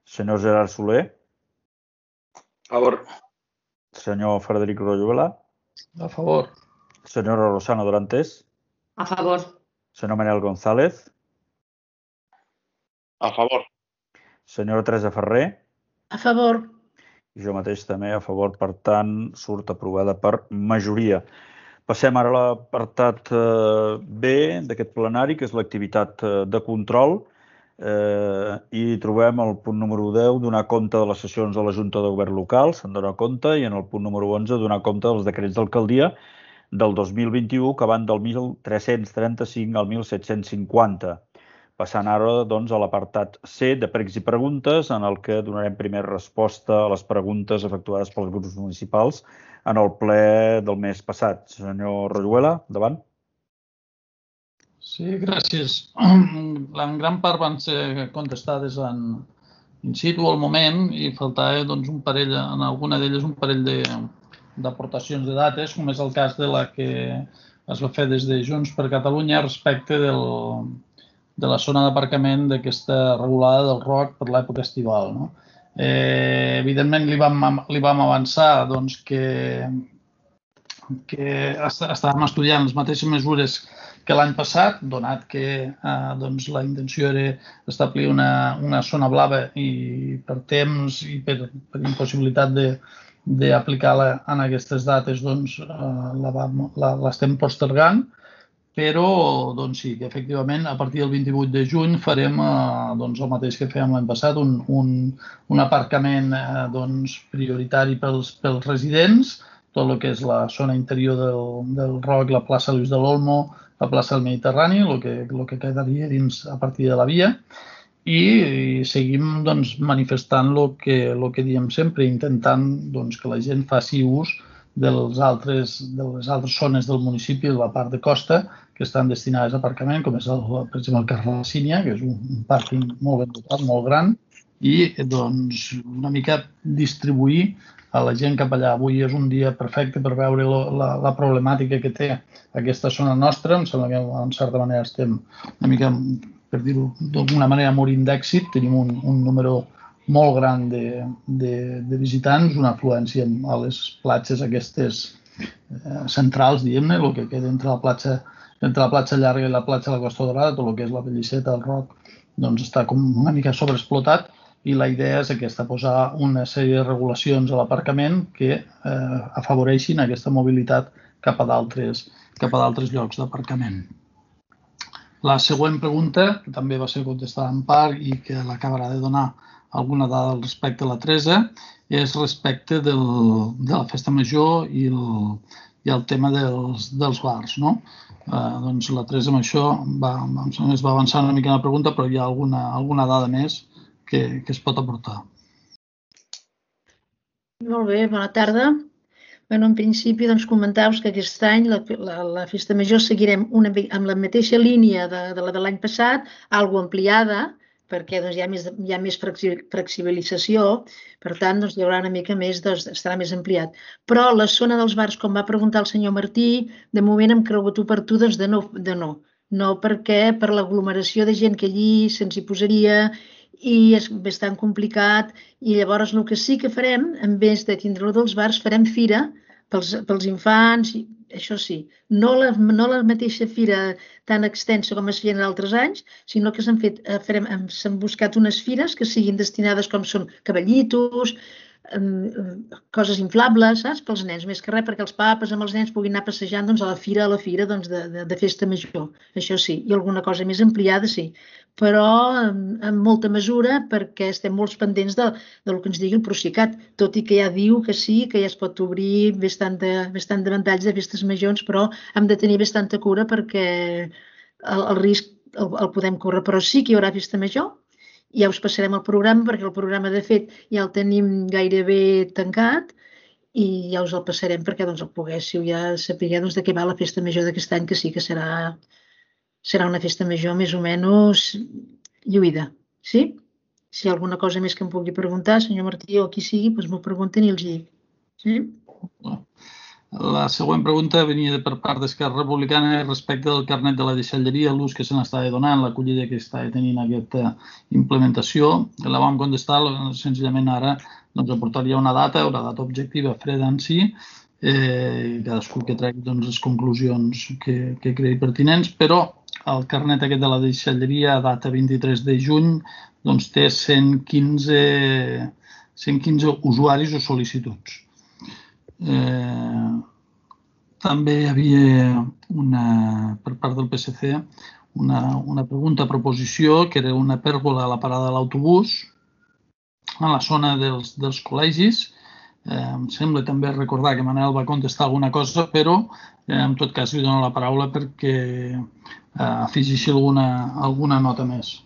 Senyor Gerard Soler. A favor. Senyor Frederic Royuela. A favor. Senyora Rosana Dorantes. A favor. Senyor Manel González. A favor. Senyora Teresa Ferrer. A favor. I jo mateix també a favor, per tant, surt aprovada per majoria. Passem ara a l'apartat B d'aquest plenari, que és l'activitat de control, i trobem el punt número 10, donar compte de les sessions de la Junta de Govern Local, se'n dona compte, i en el punt número 11, donar compte dels decrets d'alcaldia del 2021, que van del 1335 al 1750. Passant ara doncs, a l'apartat C de pregs i preguntes, en el que donarem primer resposta a les preguntes efectuades pels grups municipals en el ple del mes passat. Senyor Royuela, endavant. Sí, gràcies. En gran part van ser contestades in situ al moment i faltava doncs, un parell, en alguna d'elles un parell d'aportacions de dates, com és el cas de la que es va fer des de Junts per Catalunya respecte de la zona d'aparcament d'aquesta regulada del ROC per l'època estival. No? Evidentment, li vam avançar doncs, que estàvem estudiant les mateixes mesures que l'any passat, donat que doncs, la intenció era establir una zona blava i per temps i per impossibilitat d'aplicar-la en aquestes dates doncs, l'estem postergant. Però doncs sí, que efectivament a partir del 28 de juny farem doncs, el mateix que fèiem l'any passat, un aparcament doncs, prioritari pels residents, tot el que és la zona interior del ROC, la plaça Lluís de l'Olmo, la plaça del Mediterrani, el que quedaria dins a partir de la via, i seguim doncs, manifestant el que diem sempre, intentant doncs, que la gent faci ús de les altres zones del municipi, de la part de costa, que estan destinades a aparcament, com és, per exemple, el carrer La Sínia, que és un pàrquing molt ben dotat, molt gran, i doncs, una mica distribuir a la gent cap allà. Avui és un dia perfecte per veure la problemàtica que té aquesta zona nostra. Em sembla que, en certa manera, estem una mica, per dir-ho d'alguna manera, morint d'èxit. Tenim un número molt gran de visitants, una afluència a les platges aquestes centrals, diguem-ne, el que queda entre la platja llarga i la platja de la Costa Dorada, tot el que és la Pelliceta, el ROC, doncs està com una mica sobreexplotat i la idea és aquesta, posar una sèrie de regulacions a l'aparcament que afavoreixin aquesta mobilitat cap a d'altres llocs d'aparcament. La següent pregunta, que també va ser contestada en part i que l'acabarà de donar alguna dada al respecte a la 13, és respecte de la festa major i el tema dels bars. No? Doncs la 13 amb això es va avançar una mica en la pregunta, però hi ha alguna dada més que es pot aportar. Molt bé, bona tarda. En principi, comentar-vos que aquest any la festa major seguirem amb la mateixa línia de la de l'any passat, algo ampliada, perquè hi ha més flexibilització, per tant hi haurà una mica més, estarà més ampliat. Però la zona dels bars, com va preguntar el senyor Martí, de moment hem cregut oportú de no. No, perquè per l'aglomeració de gent que allí se'ns hi posaria i és bastant complicat, i llavors el que sí que farem, en vez de tindre-lo dels bars, farem fira pels infants, això sí, no la mateixa fira tan extensa com es feien en altres anys, sinó que s'han buscat unes fires que siguin destinades com són cavallitos, coses inflables, saps? Pels nens, més que res, perquè els papes amb els nens puguin anar passejant a la fira de festa major, això sí, i alguna cosa més ampliada, sí, però en molta mesura perquè estem molt pendents del que ens digui el Procicat, tot i que ja diu que sí, que ja es pot obrir bastant de ventalls de festes majors, però hem de tenir bastanta cura perquè el risc el podem córrer, però sí que hi haurà festa major. Ja us passarem el programa, perquè el programa, de fet, ja el tenim gairebé tancat i ja us el passarem perquè el poguéssiu ja saber de què va la festa major d'aquest any, que sí que serà una festa major més o menys lluïda. Sí? Si hi ha alguna cosa més que em pugui preguntar, senyor Martí, o qui sigui, doncs m'ho pregunten i els dic. Sí? La següent pregunta venia per part d'Esquerra Republicana respecte del carnet de la deixalleria, l'ús que se n'estava donant, l'acollida que estava tenint aquesta implementació. La vam contestar, senzillament ara aportaria una data objectiva freda en si, cadascú que tregui les conclusions que cregui pertinents, però el carnet aquest de la deixalleria, data 23 de juny, té 115 usuaris o sol·licituds. També hi havia per part del PSC una pregunta a proposició, que era una pèrgola a la parada de l'autobús a la zona dels col·legis. Em sembla també recordar que Manel va contestar alguna cosa, però en tot cas li dono la paraula perquè afegeixi alguna nota més.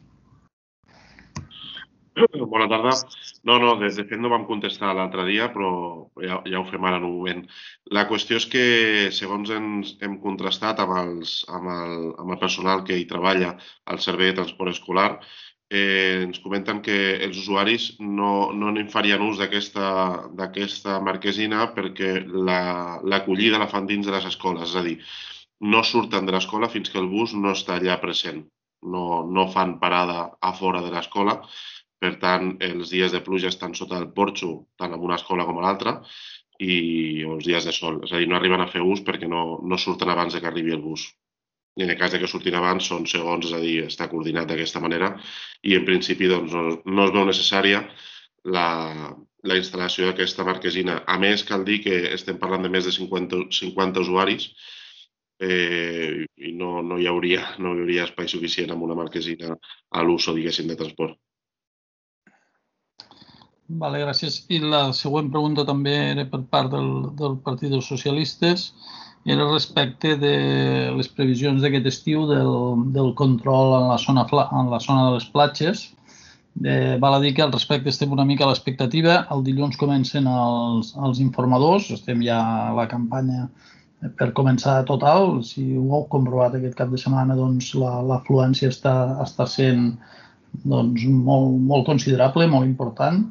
Bona tarda. No, de fet no vam contestar l'altre dia, però ja ho fem ara en un moment. La qüestió és que, segons hem contrastat amb el personal que hi treballa al servei de transport escolar, ens comenten que els usuaris no en farien ús d'aquesta marquesina perquè l'acollida la fan dins de les escoles, és a dir, no surten de l'escola fins que el bus no està allà present. No fan parada a fora de l'escola. Per tant, els dies de pluja estan sota el porxo, tant en una escola com a l'altra, i els dies de sol. És a dir, no arriben a fer ús perquè no surten abans que arribi el bus. I en el cas que surtin abans són segons, és a dir, està coordinat d'aquesta manera, i en principi no es veu necessària la instal·lació d'aquesta marquesina. A més, cal dir que estem parlant de més de 50 usuaris i no hi hauria espai suficient amb una marquesina a l'ús, diguéssim, de transport. Vale, gràcies. I la següent pregunta també era per part del Partit dels Socialistes, era respecte de les previsions d'aquest estiu del control en la zona de les platges. Val a dir que al respecte estem una mica a l'expectativa. El dilluns comencen els informadors, estem ja a la campanya per començar total. Si ho heu comprovat aquest cap de setmana, doncs l'afluència està sent molt considerable, molt important.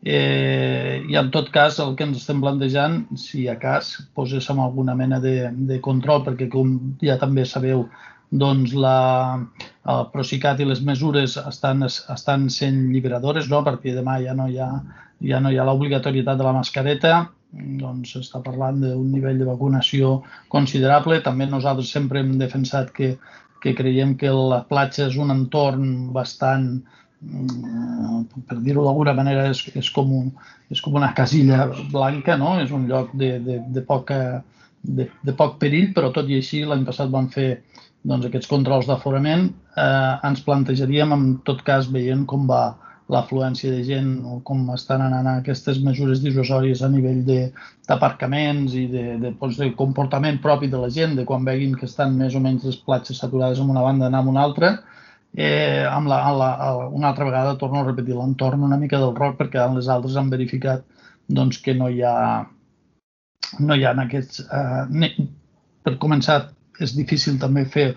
I en tot cas el que ens estem plantejant, si a cas poséssim alguna mena de control, perquè com ja també sabeu, doncs el Procicat i les mesures estan sent liberadores, a partir de demà ja no hi ha l'obligatorietat de la mascareta, doncs s'està parlant d'un nivell de vacunació considerable. També nosaltres sempre hem defensat que creiem que la platja és un entorn bastant, per dir-ho d'alguna manera, és com una casilla blanca, no? És un lloc de poc perill, però tot i així l'any passat van fer aquests controls d'aforament. Ens plantejaríem, en tot cas, veient com va l'afluència de gent o com estan anant aquestes mesures dissuasòries a nivell d'aparcaments i de comportament propi de la gent, de quan veguin que estan més o menys les platges saturades en una banda anar en una altra. Una altra vegada torno a repetir l'entorn una mica del Roc, perquè en les altres han verificat que no hi ha aquests... Per començar, és difícil també fer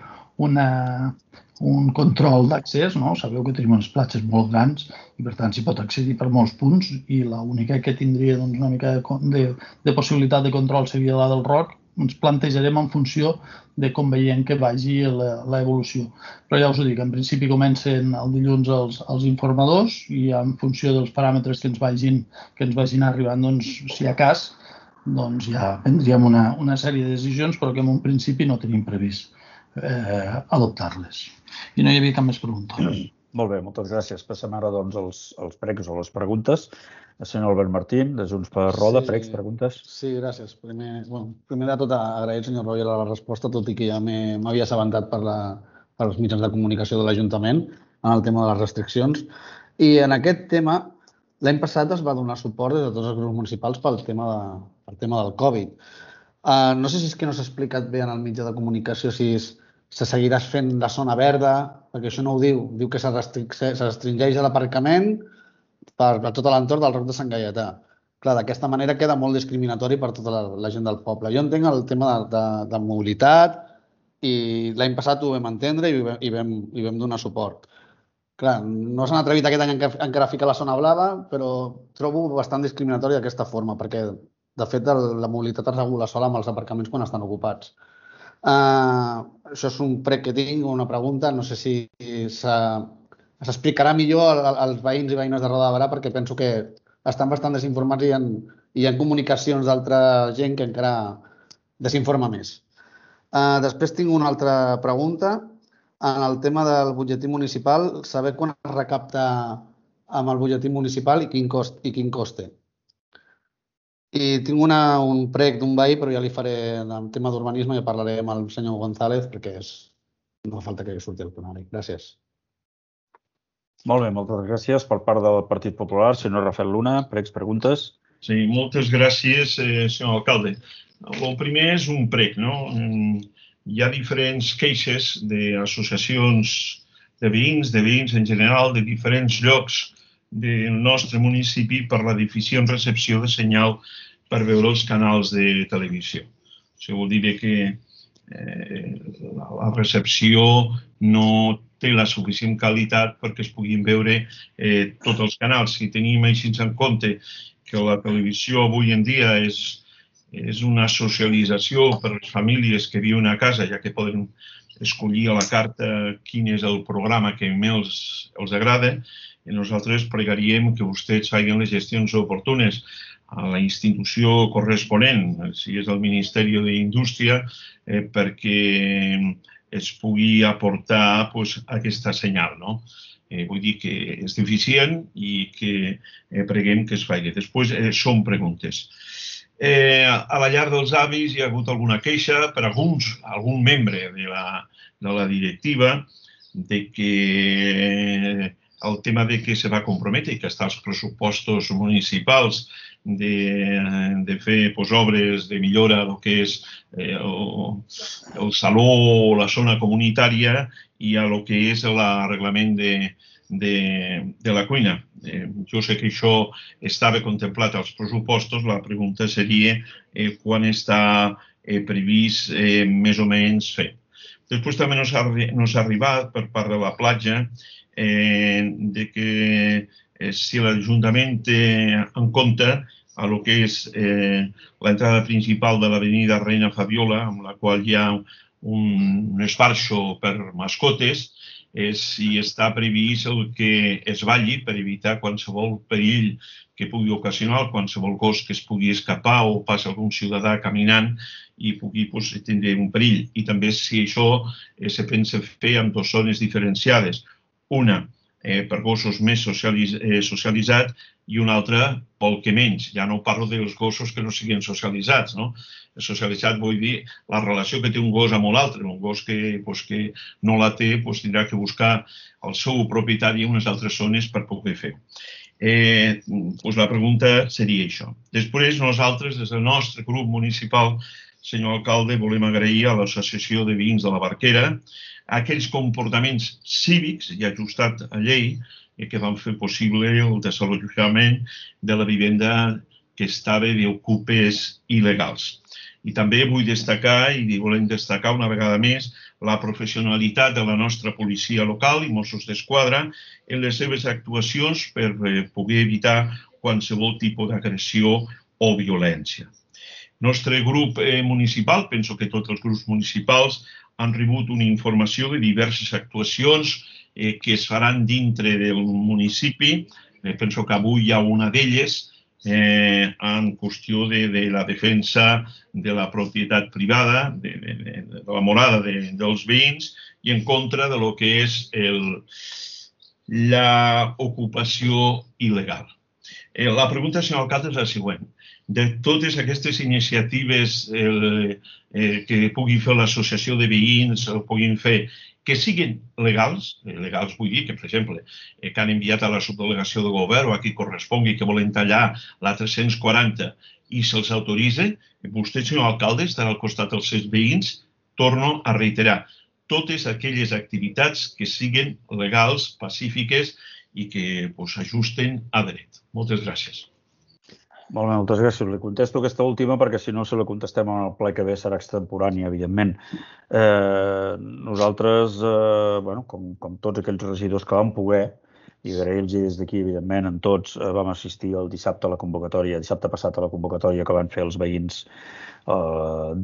un control d'accés, no? Sabeu que tenim unes platges molt grans i per tant s'hi pot accedir per molts punts i l'única que tindria una mica de possibilitat de control seria la del Roc. Ens plantejarem en funció de com veiem que vagi l'evolució. Però ja us ho dic, en principi comencen el dilluns els informadors i en funció dels paràmetres que ens vagin arribant, si hi ha cas, doncs ja prendríem una sèrie de decisions, però que en un principi no tenim previst adoptar-les. I no hi havia cap més pregunta. Molt bé, moltes gràcies. Passem ara als pregs o les preguntes. El senyor Albert Martín, de Junts per Roda, pregs, preguntes. Sí, gràcies. Primer de tot, agrair al senyor Roger la resposta, tot i que ja m'havia assabentat pels mitjans de comunicació de l'Ajuntament en el tema de les restriccions. I en aquest tema, l'any passat es va donar suport des de tots els grups municipals pel tema del Covid. No sé si és que no s'ha explicat bé en el mitjà de comunicació si se seguirà fent la zona verda, perquè això no ho diu. Diu que se restringeix l'aparcament per tot l'entorn del Roc de Sant Gaietà. Clar, d'aquesta manera queda molt discriminatori per tota la gent del poble. Jo entenc el tema de mobilitat i l'any passat ho vam entendre i vam donar suport. Clar, no s'han atrevit aquest any encara a ficar la zona blava, però trobo bastant discriminatori d'aquesta forma, perquè, de fet, la mobilitat es regula sola amb els aparcaments quan estan ocupats. Això és un prec que tinc, una pregunta, no sé si s'explicarà millor als veïns i veïnes de Roda de Berà, perquè penso que estan bastant desinformats i hi ha comunicacions d'altra gent que encara desinforma més. Després tinc una altra pregunta. En el tema del butlletí municipal, saber quan es recapta amb el butlletí municipal i quin cost té. I tinc un prec d'un veí, però ja li faré el tema d'urbanisme i parlaré amb el senyor González, perquè no fa falta que surti el plenari. Gràcies. Molt bé, moltes gràcies per part del Partit Popular. Senyor Rafael Luna, pregs, preguntes. Sí, moltes gràcies, senyor alcalde. El primer és un prec, no? Hi ha diferents queixes d'associacions de veïns en general, de diferents llocs del nostre municipi per la deficient recepció de senyal per veure els canals de televisió. Això vol dir que la recepció no té la suficient qualitat perquè es puguin veure tots els canals. Si tenim així en compte que la televisió avui en dia és una socialització per a les famílies que viuen a casa, ja que poden escollir a la carta quin és el programa que més els agrada, i nosaltres pregaríem que vostès facin les gestions oportunes a la institució corresponent, si és el Ministeri d'Indústria, perquè es pugui aportar aquesta senyal. Vull dir que és deficient i que preguem que es faci. Després són preguntes. A la llar dels avis hi ha hagut alguna queixa per algun membre de la directiva de que el tema de que se va comprometre i que està als pressupostos municipals de fer obres de millora del que és el saló o la zona comunitària i a el que és l'arreglament de la cuina. Jo sé que això estava contemplat als pressupostos, la pregunta seria quan està previst més o menys fer. Després també nos ha arribat per part de la platja de que si l'Ajuntament té en compte el que és l'entrada principal de l'avenida Reina Fabiola, amb la qual hi ha un esbarxo per mascotes, si està previst el que es balli per evitar qualsevol perill que pugui ocasionar, qualsevol gos que es pugui escapar o passi algun ciutadà caminant i pugui tindre un perill. I també si això se pensa fer amb dues zones diferenciades. Una per gossos més socialitzats i una altra pel que menys. Ja no parlo dels gossos que no siguin socialitzats. Socialitzat vull dir la relació que té un gos amb l'altre. Un gos que no la té tindrà que buscar el seu propietari en unes altres zones per poder fer-ho. La pregunta seria això. Després nosaltres, des del nostre grup municipal, senyor alcalde, volem agrair a l'Associació de Veïns de la Barquera aquells comportaments cívics i ajustat a llei que van fer possible el desallotjament de la vivenda que estava d'ocupes il·legals. I també vull destacar, i volem destacar una vegada més, la professionalitat de la nostra policia local i Mossos d'Esquadra en les seves actuacions per poder evitar qualsevol tipus d'agressió o violència. El nostre grup municipal, penso que tots els grups municipals, han rebut una informació de diverses actuacions que es faran dintre del municipi. Penso que avui hi ha una d'elles en qüestió de la defensa de la propietat privada, de la morada dels veïns i en contra de lo que és l'ocupació il·legal. La pregunta, senyor alcalde, és la següent. De totes aquestes iniciatives que pugui fer l'associació de veïns o puguin fer, que siguin legals, legals vull dir que, per exemple, que han enviat a la subdelegació de govern o a qui correspongui que volen tallar la 340 i se'ls autoritza, vostè, senyor alcalde, estarà al costat dels seus veïns, torno a reiterar, totes aquelles activitats que siguin legals, pacífiques i que s'ajusten a dret. Moltes gràcies. Molt bé, moltes gràcies. Li contesto aquesta última perquè si no se la contestem en el ple que ve serà extemporani, evidentment. Nosaltres, com tots aquells regidors que vam poder, i agrair-los des d'aquí, evidentment, en tots, vam assistir el dissabte a la convocatòria, dissabte passat a la convocatòria que van fer els veïns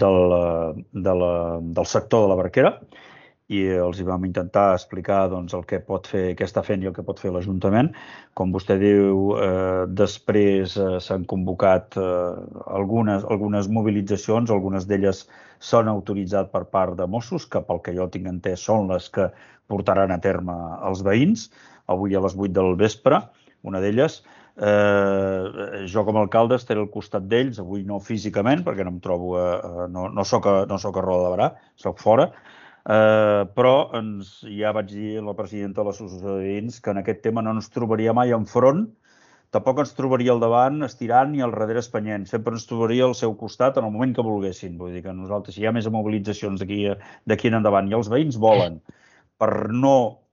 del sector de la Barquera, i els hi vam intentar explicar el que pot fer, què està fent i el que pot fer l'Ajuntament. Com vostè diu, després s'han convocat algunes mobilitzacions, algunes d'elles s'han autoritzat per part de Mossos, que pel que jo tinc entès són les que portaran a terme els veïns, avui a les 8 del vespre, una d'elles. Jo com a alcalde estaré al costat d'ells, avui no físicament, perquè no em trobo, no soc a Roda de Berà, soc fora, però ja vaig dir a la presidenta de l'associació de veïns que en aquest tema no ens trobaria mai enfront, tampoc ens trobaria al davant estirant ni al darrere espanyent, sempre ens trobaria al seu costat en el moment que volguessin. Vull dir que nosaltres, si hi ha més mobilitzacions d'aquí en endavant i els veïns volen, per no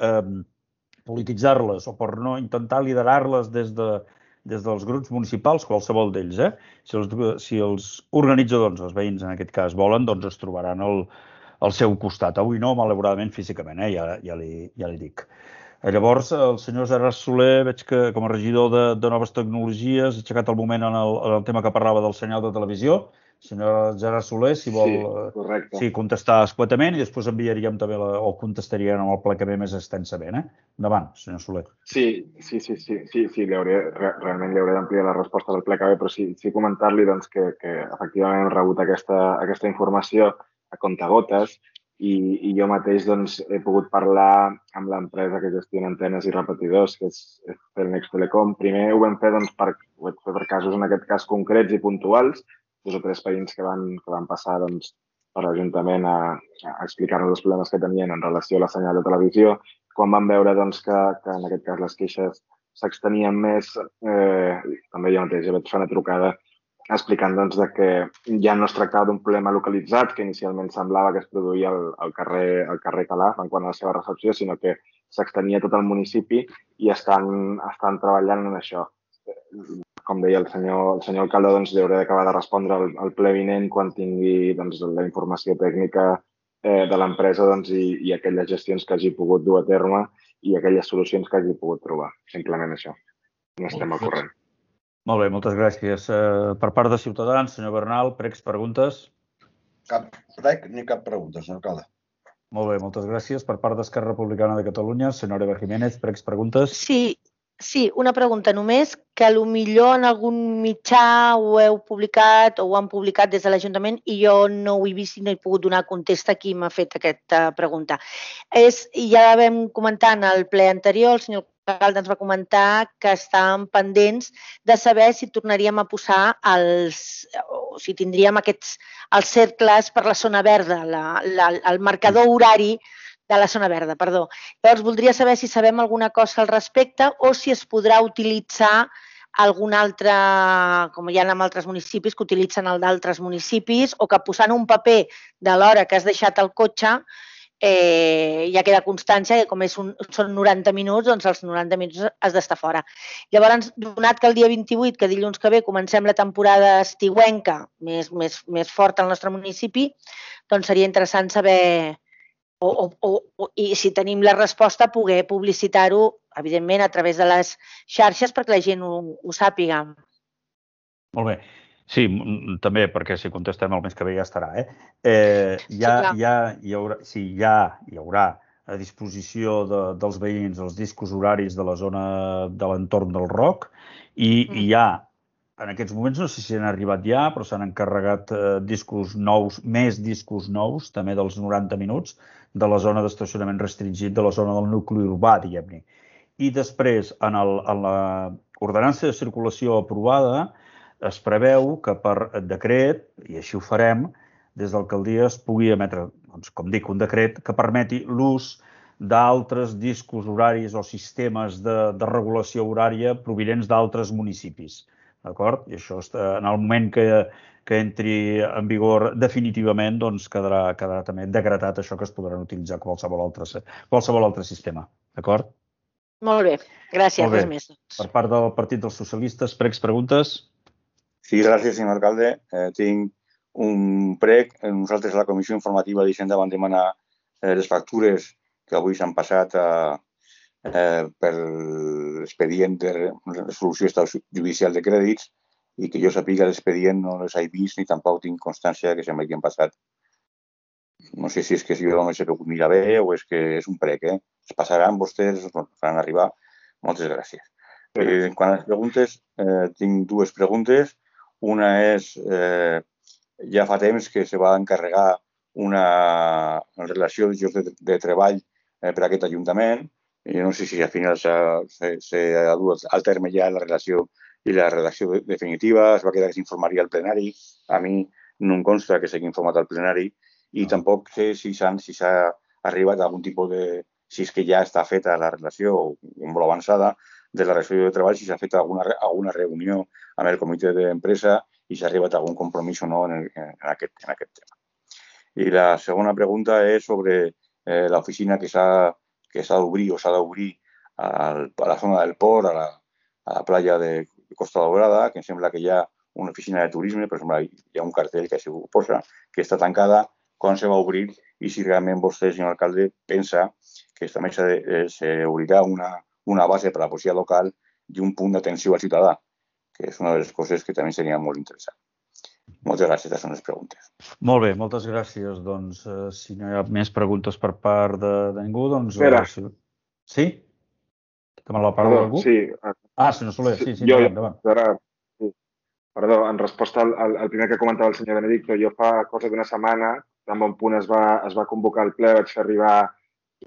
polititzar-les o per no intentar liderar-les des dels grups municipals, qualsevol d'ells, si els organitzadors, els veïns en aquest cas, volen, doncs es trobaran al seu costat. Avui no, malauradament, físicament, ja li dic. Llavors, el senyor Gerard Soler, veig que com a regidor de Noves Tecnologies ha aixecat el moment en el tema que parlava del senyal de televisió. Senyor Gerard Soler, si vol contestar escuetament i després enviaríem també o contestaríem amb el ple que ve més extensament. Endavant, senyor Soler. Sí, realment li hauré d'ampliar la resposta del ple que ve, però sí comentar-li que efectivament hem rebut aquesta informació a comptagotes i jo mateix he pogut parlar amb l'empresa que gestiona antenes i repetidors, que és Telnex Telecom. Primer ho vam fer per casos, en aquest cas, concrets i puntuals, 2 o 3 veïns que van passar per l'Ajuntament a explicar-nos els problemes que tenien en relació a la senyal de televisió. Quan vam veure que en aquest cas les queixes s'extenien més, també jo mateix vaig fer una trucada explicant que ja no es tractava d'un problema localitzat, que inicialment semblava que es produïa al carrer Calaf en quant a la seva recepció, sinó que s'extenia tot el municipi i estan treballant en això. Com deia el senyor alcalde, li hauré d'acabar de respondre al ple vinent quan tingui la informació tècnica de l'empresa i aquelles gestions que hagi pogut dur a terme i aquelles solucions que hagi pogut trobar. Simplement això. No estem al corrent. Molt bé, moltes gràcies. Per part de Ciutadans, senyor Bernal, pregs, preguntes? Cap preg ni cap pregunta, senyor alcalde. Molt bé, moltes gràcies. Per part d'Esquerra Republicana de Catalunya, senyora Eva Jiménez, pregs, preguntes? Sí, una pregunta només, que potser en algun mitjà ho heu publicat o ho han publicat des de l'Ajuntament i jo no ho he vist i no he pogut donar contesta a qui m'ha fet aquesta pregunta. Ja vam comentar en el ple anterior, el senyor alcalde ens va comentar que estàvem pendents de saber si tornaríem a posar si tindríem els cercles per la zona verda, el marcador horari de la zona verda, perdó. Llavors, voldria saber si sabem alguna cosa al respecte o si es podrà utilitzar algun altre, com hi ha en altres municipis, que utilitzen el d'altres municipis, o que posant un paper de l'hora que has deixat el cotxe ja queda constància que com són 90 minuts, doncs els 90 minuts has d'estar fora. Llavors, donat que el dia 28, que dilluns que ve, comencem la temporada estiuenca més forta al nostre municipi, doncs seria interessant saber i si tenim la resposta, poder publicitar-ho, evidentment, a través de les xarxes perquè la gent ho sàpiga. Molt bé. Sí, també, perquè si contestem el mes que ve ja estarà. Hi haurà a disposició dels veïns els discos horaris de la zona de l'entorn del ROC i hi ha, en aquests moments, no sé si han arribat ja, però s'han encarregat discos nous, més discos nous, també dels 90 minuts, de la zona d'estacionament restringit, de la zona del nucli urbà, diguem-ne. I després, en l'ordenança de circulació aprovada, es preveu que per decret, i així ho farem, des d'alcaldia es pugui emetre, com dic, un decret que permeti l'ús d'altres discos horaris o sistemes de regulació horària provinents d'altres municipis. D'acord? I això, en el moment que entri en vigor definitivament, doncs quedarà també decretat això que es podran utilitzar qualsevol altre sistema. D'acord? Molt bé, gràcies. Res més. Per part del Partit dels Socialistes, pregs, preguntes? Sí, gràcies, senyor alcalde. Tinc un prec. Nosaltres a la Comissió Informativa d'Hisenda vam demanar les factures que avui s'han passat per l'expedient de resolució judicial de crèdits i que jo sàpiga l'expedient no les he vist ni tampoc tinc constància que sembla que han passat. No sé si és que jo només he pogut mirar bé o és que és un prec. Es passaran vostès, faran arribar. Moltes gràcies. Quant a les preguntes, tinc dues preguntes. Una és, ja fa temps que se va encarregar una relació de llocs de treball per a aquest Ajuntament. I no sé si al final s'ha dut al terme ja la relació i la redacció definitiva. Es va quedar que s'informaria al plenari. A mi no em consta que s'hagi informat al plenari i tampoc sé si s'ha arribat a algun tipus de... si és que ja està feta la relació molt avançada de la relació de treball, si s'ha fet alguna reunió amb el comitè d'empresa i s'ha arribat a algun compromís o no en aquest tema. I la segona pregunta és sobre l'oficina que s'ha d'obrir o s'ha d'obrir a la zona del port, a la platja de Costa Daurada, que em sembla que hi ha una oficina de turisme, per exemple, hi ha un cartell que s'hi posa, que està tancada, quan se va obrir i si realment vostè, senyor alcalde, pensa que també s'obrirà una base per a la policia local i un punt d'atenció al ciutadà, que és una de les coses que també seria molt interessant. Moltes gràcies, aquestes són les preguntes. Molt bé, moltes gràcies. Doncs, si no hi ha més preguntes per part de ningú, doncs... Espera. Sí? Demana la paraula algú? Sí. Senyor Soler, sí, endavant. Perdó, en resposta al primer que comentava el senyor Benedicto, jo fa cosa d'una setmana, en bon punt es va convocar el ple, vaig fer arribar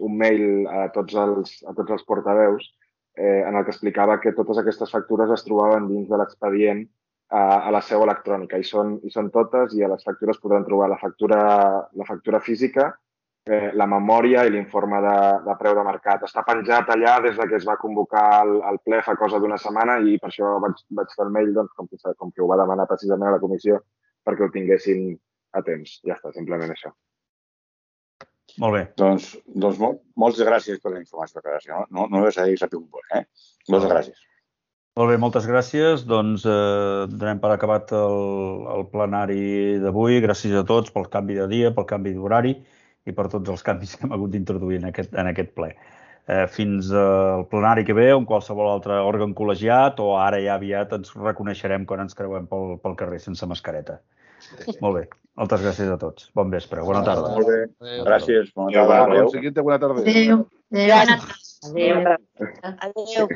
un mail a tots els portaveus en el que explicava que totes aquestes factures es trobaven dins de l'expedient a la seu electrònica. I són totes i a les factures podran trobar la factura física, la memòria i l'informe de preu de mercat. Està penjat allà des que es va convocar el ple fa cosa d'una setmana i per això vaig fer el mail, doncs, com que ho va demanar precisament a la comissió, perquè ho tinguessin a temps. Ja està, simplement això. Molt bé. Doncs moltes gràcies per la informació. No us he sabut molt. Moltes gràcies. Molt bé, moltes gràcies. Doncs donem per acabat el plenari d'avui. Gràcies a tots pel canvi de dia, pel canvi d'horari i per tots els canvis que hem hagut d'introduir en aquest ple. Fins al plenari que ve o en qualsevol altre òrgan col·legiat o ara ja aviat ens reconeixerem quan ens creuem pel carrer sense mascareta. Molt bé. Moltes gràcies a tots. Bon vespre. Bona tarda. Molt bé. Gràcies. Bona tarda. Buena tarde. Adéu. Adéu.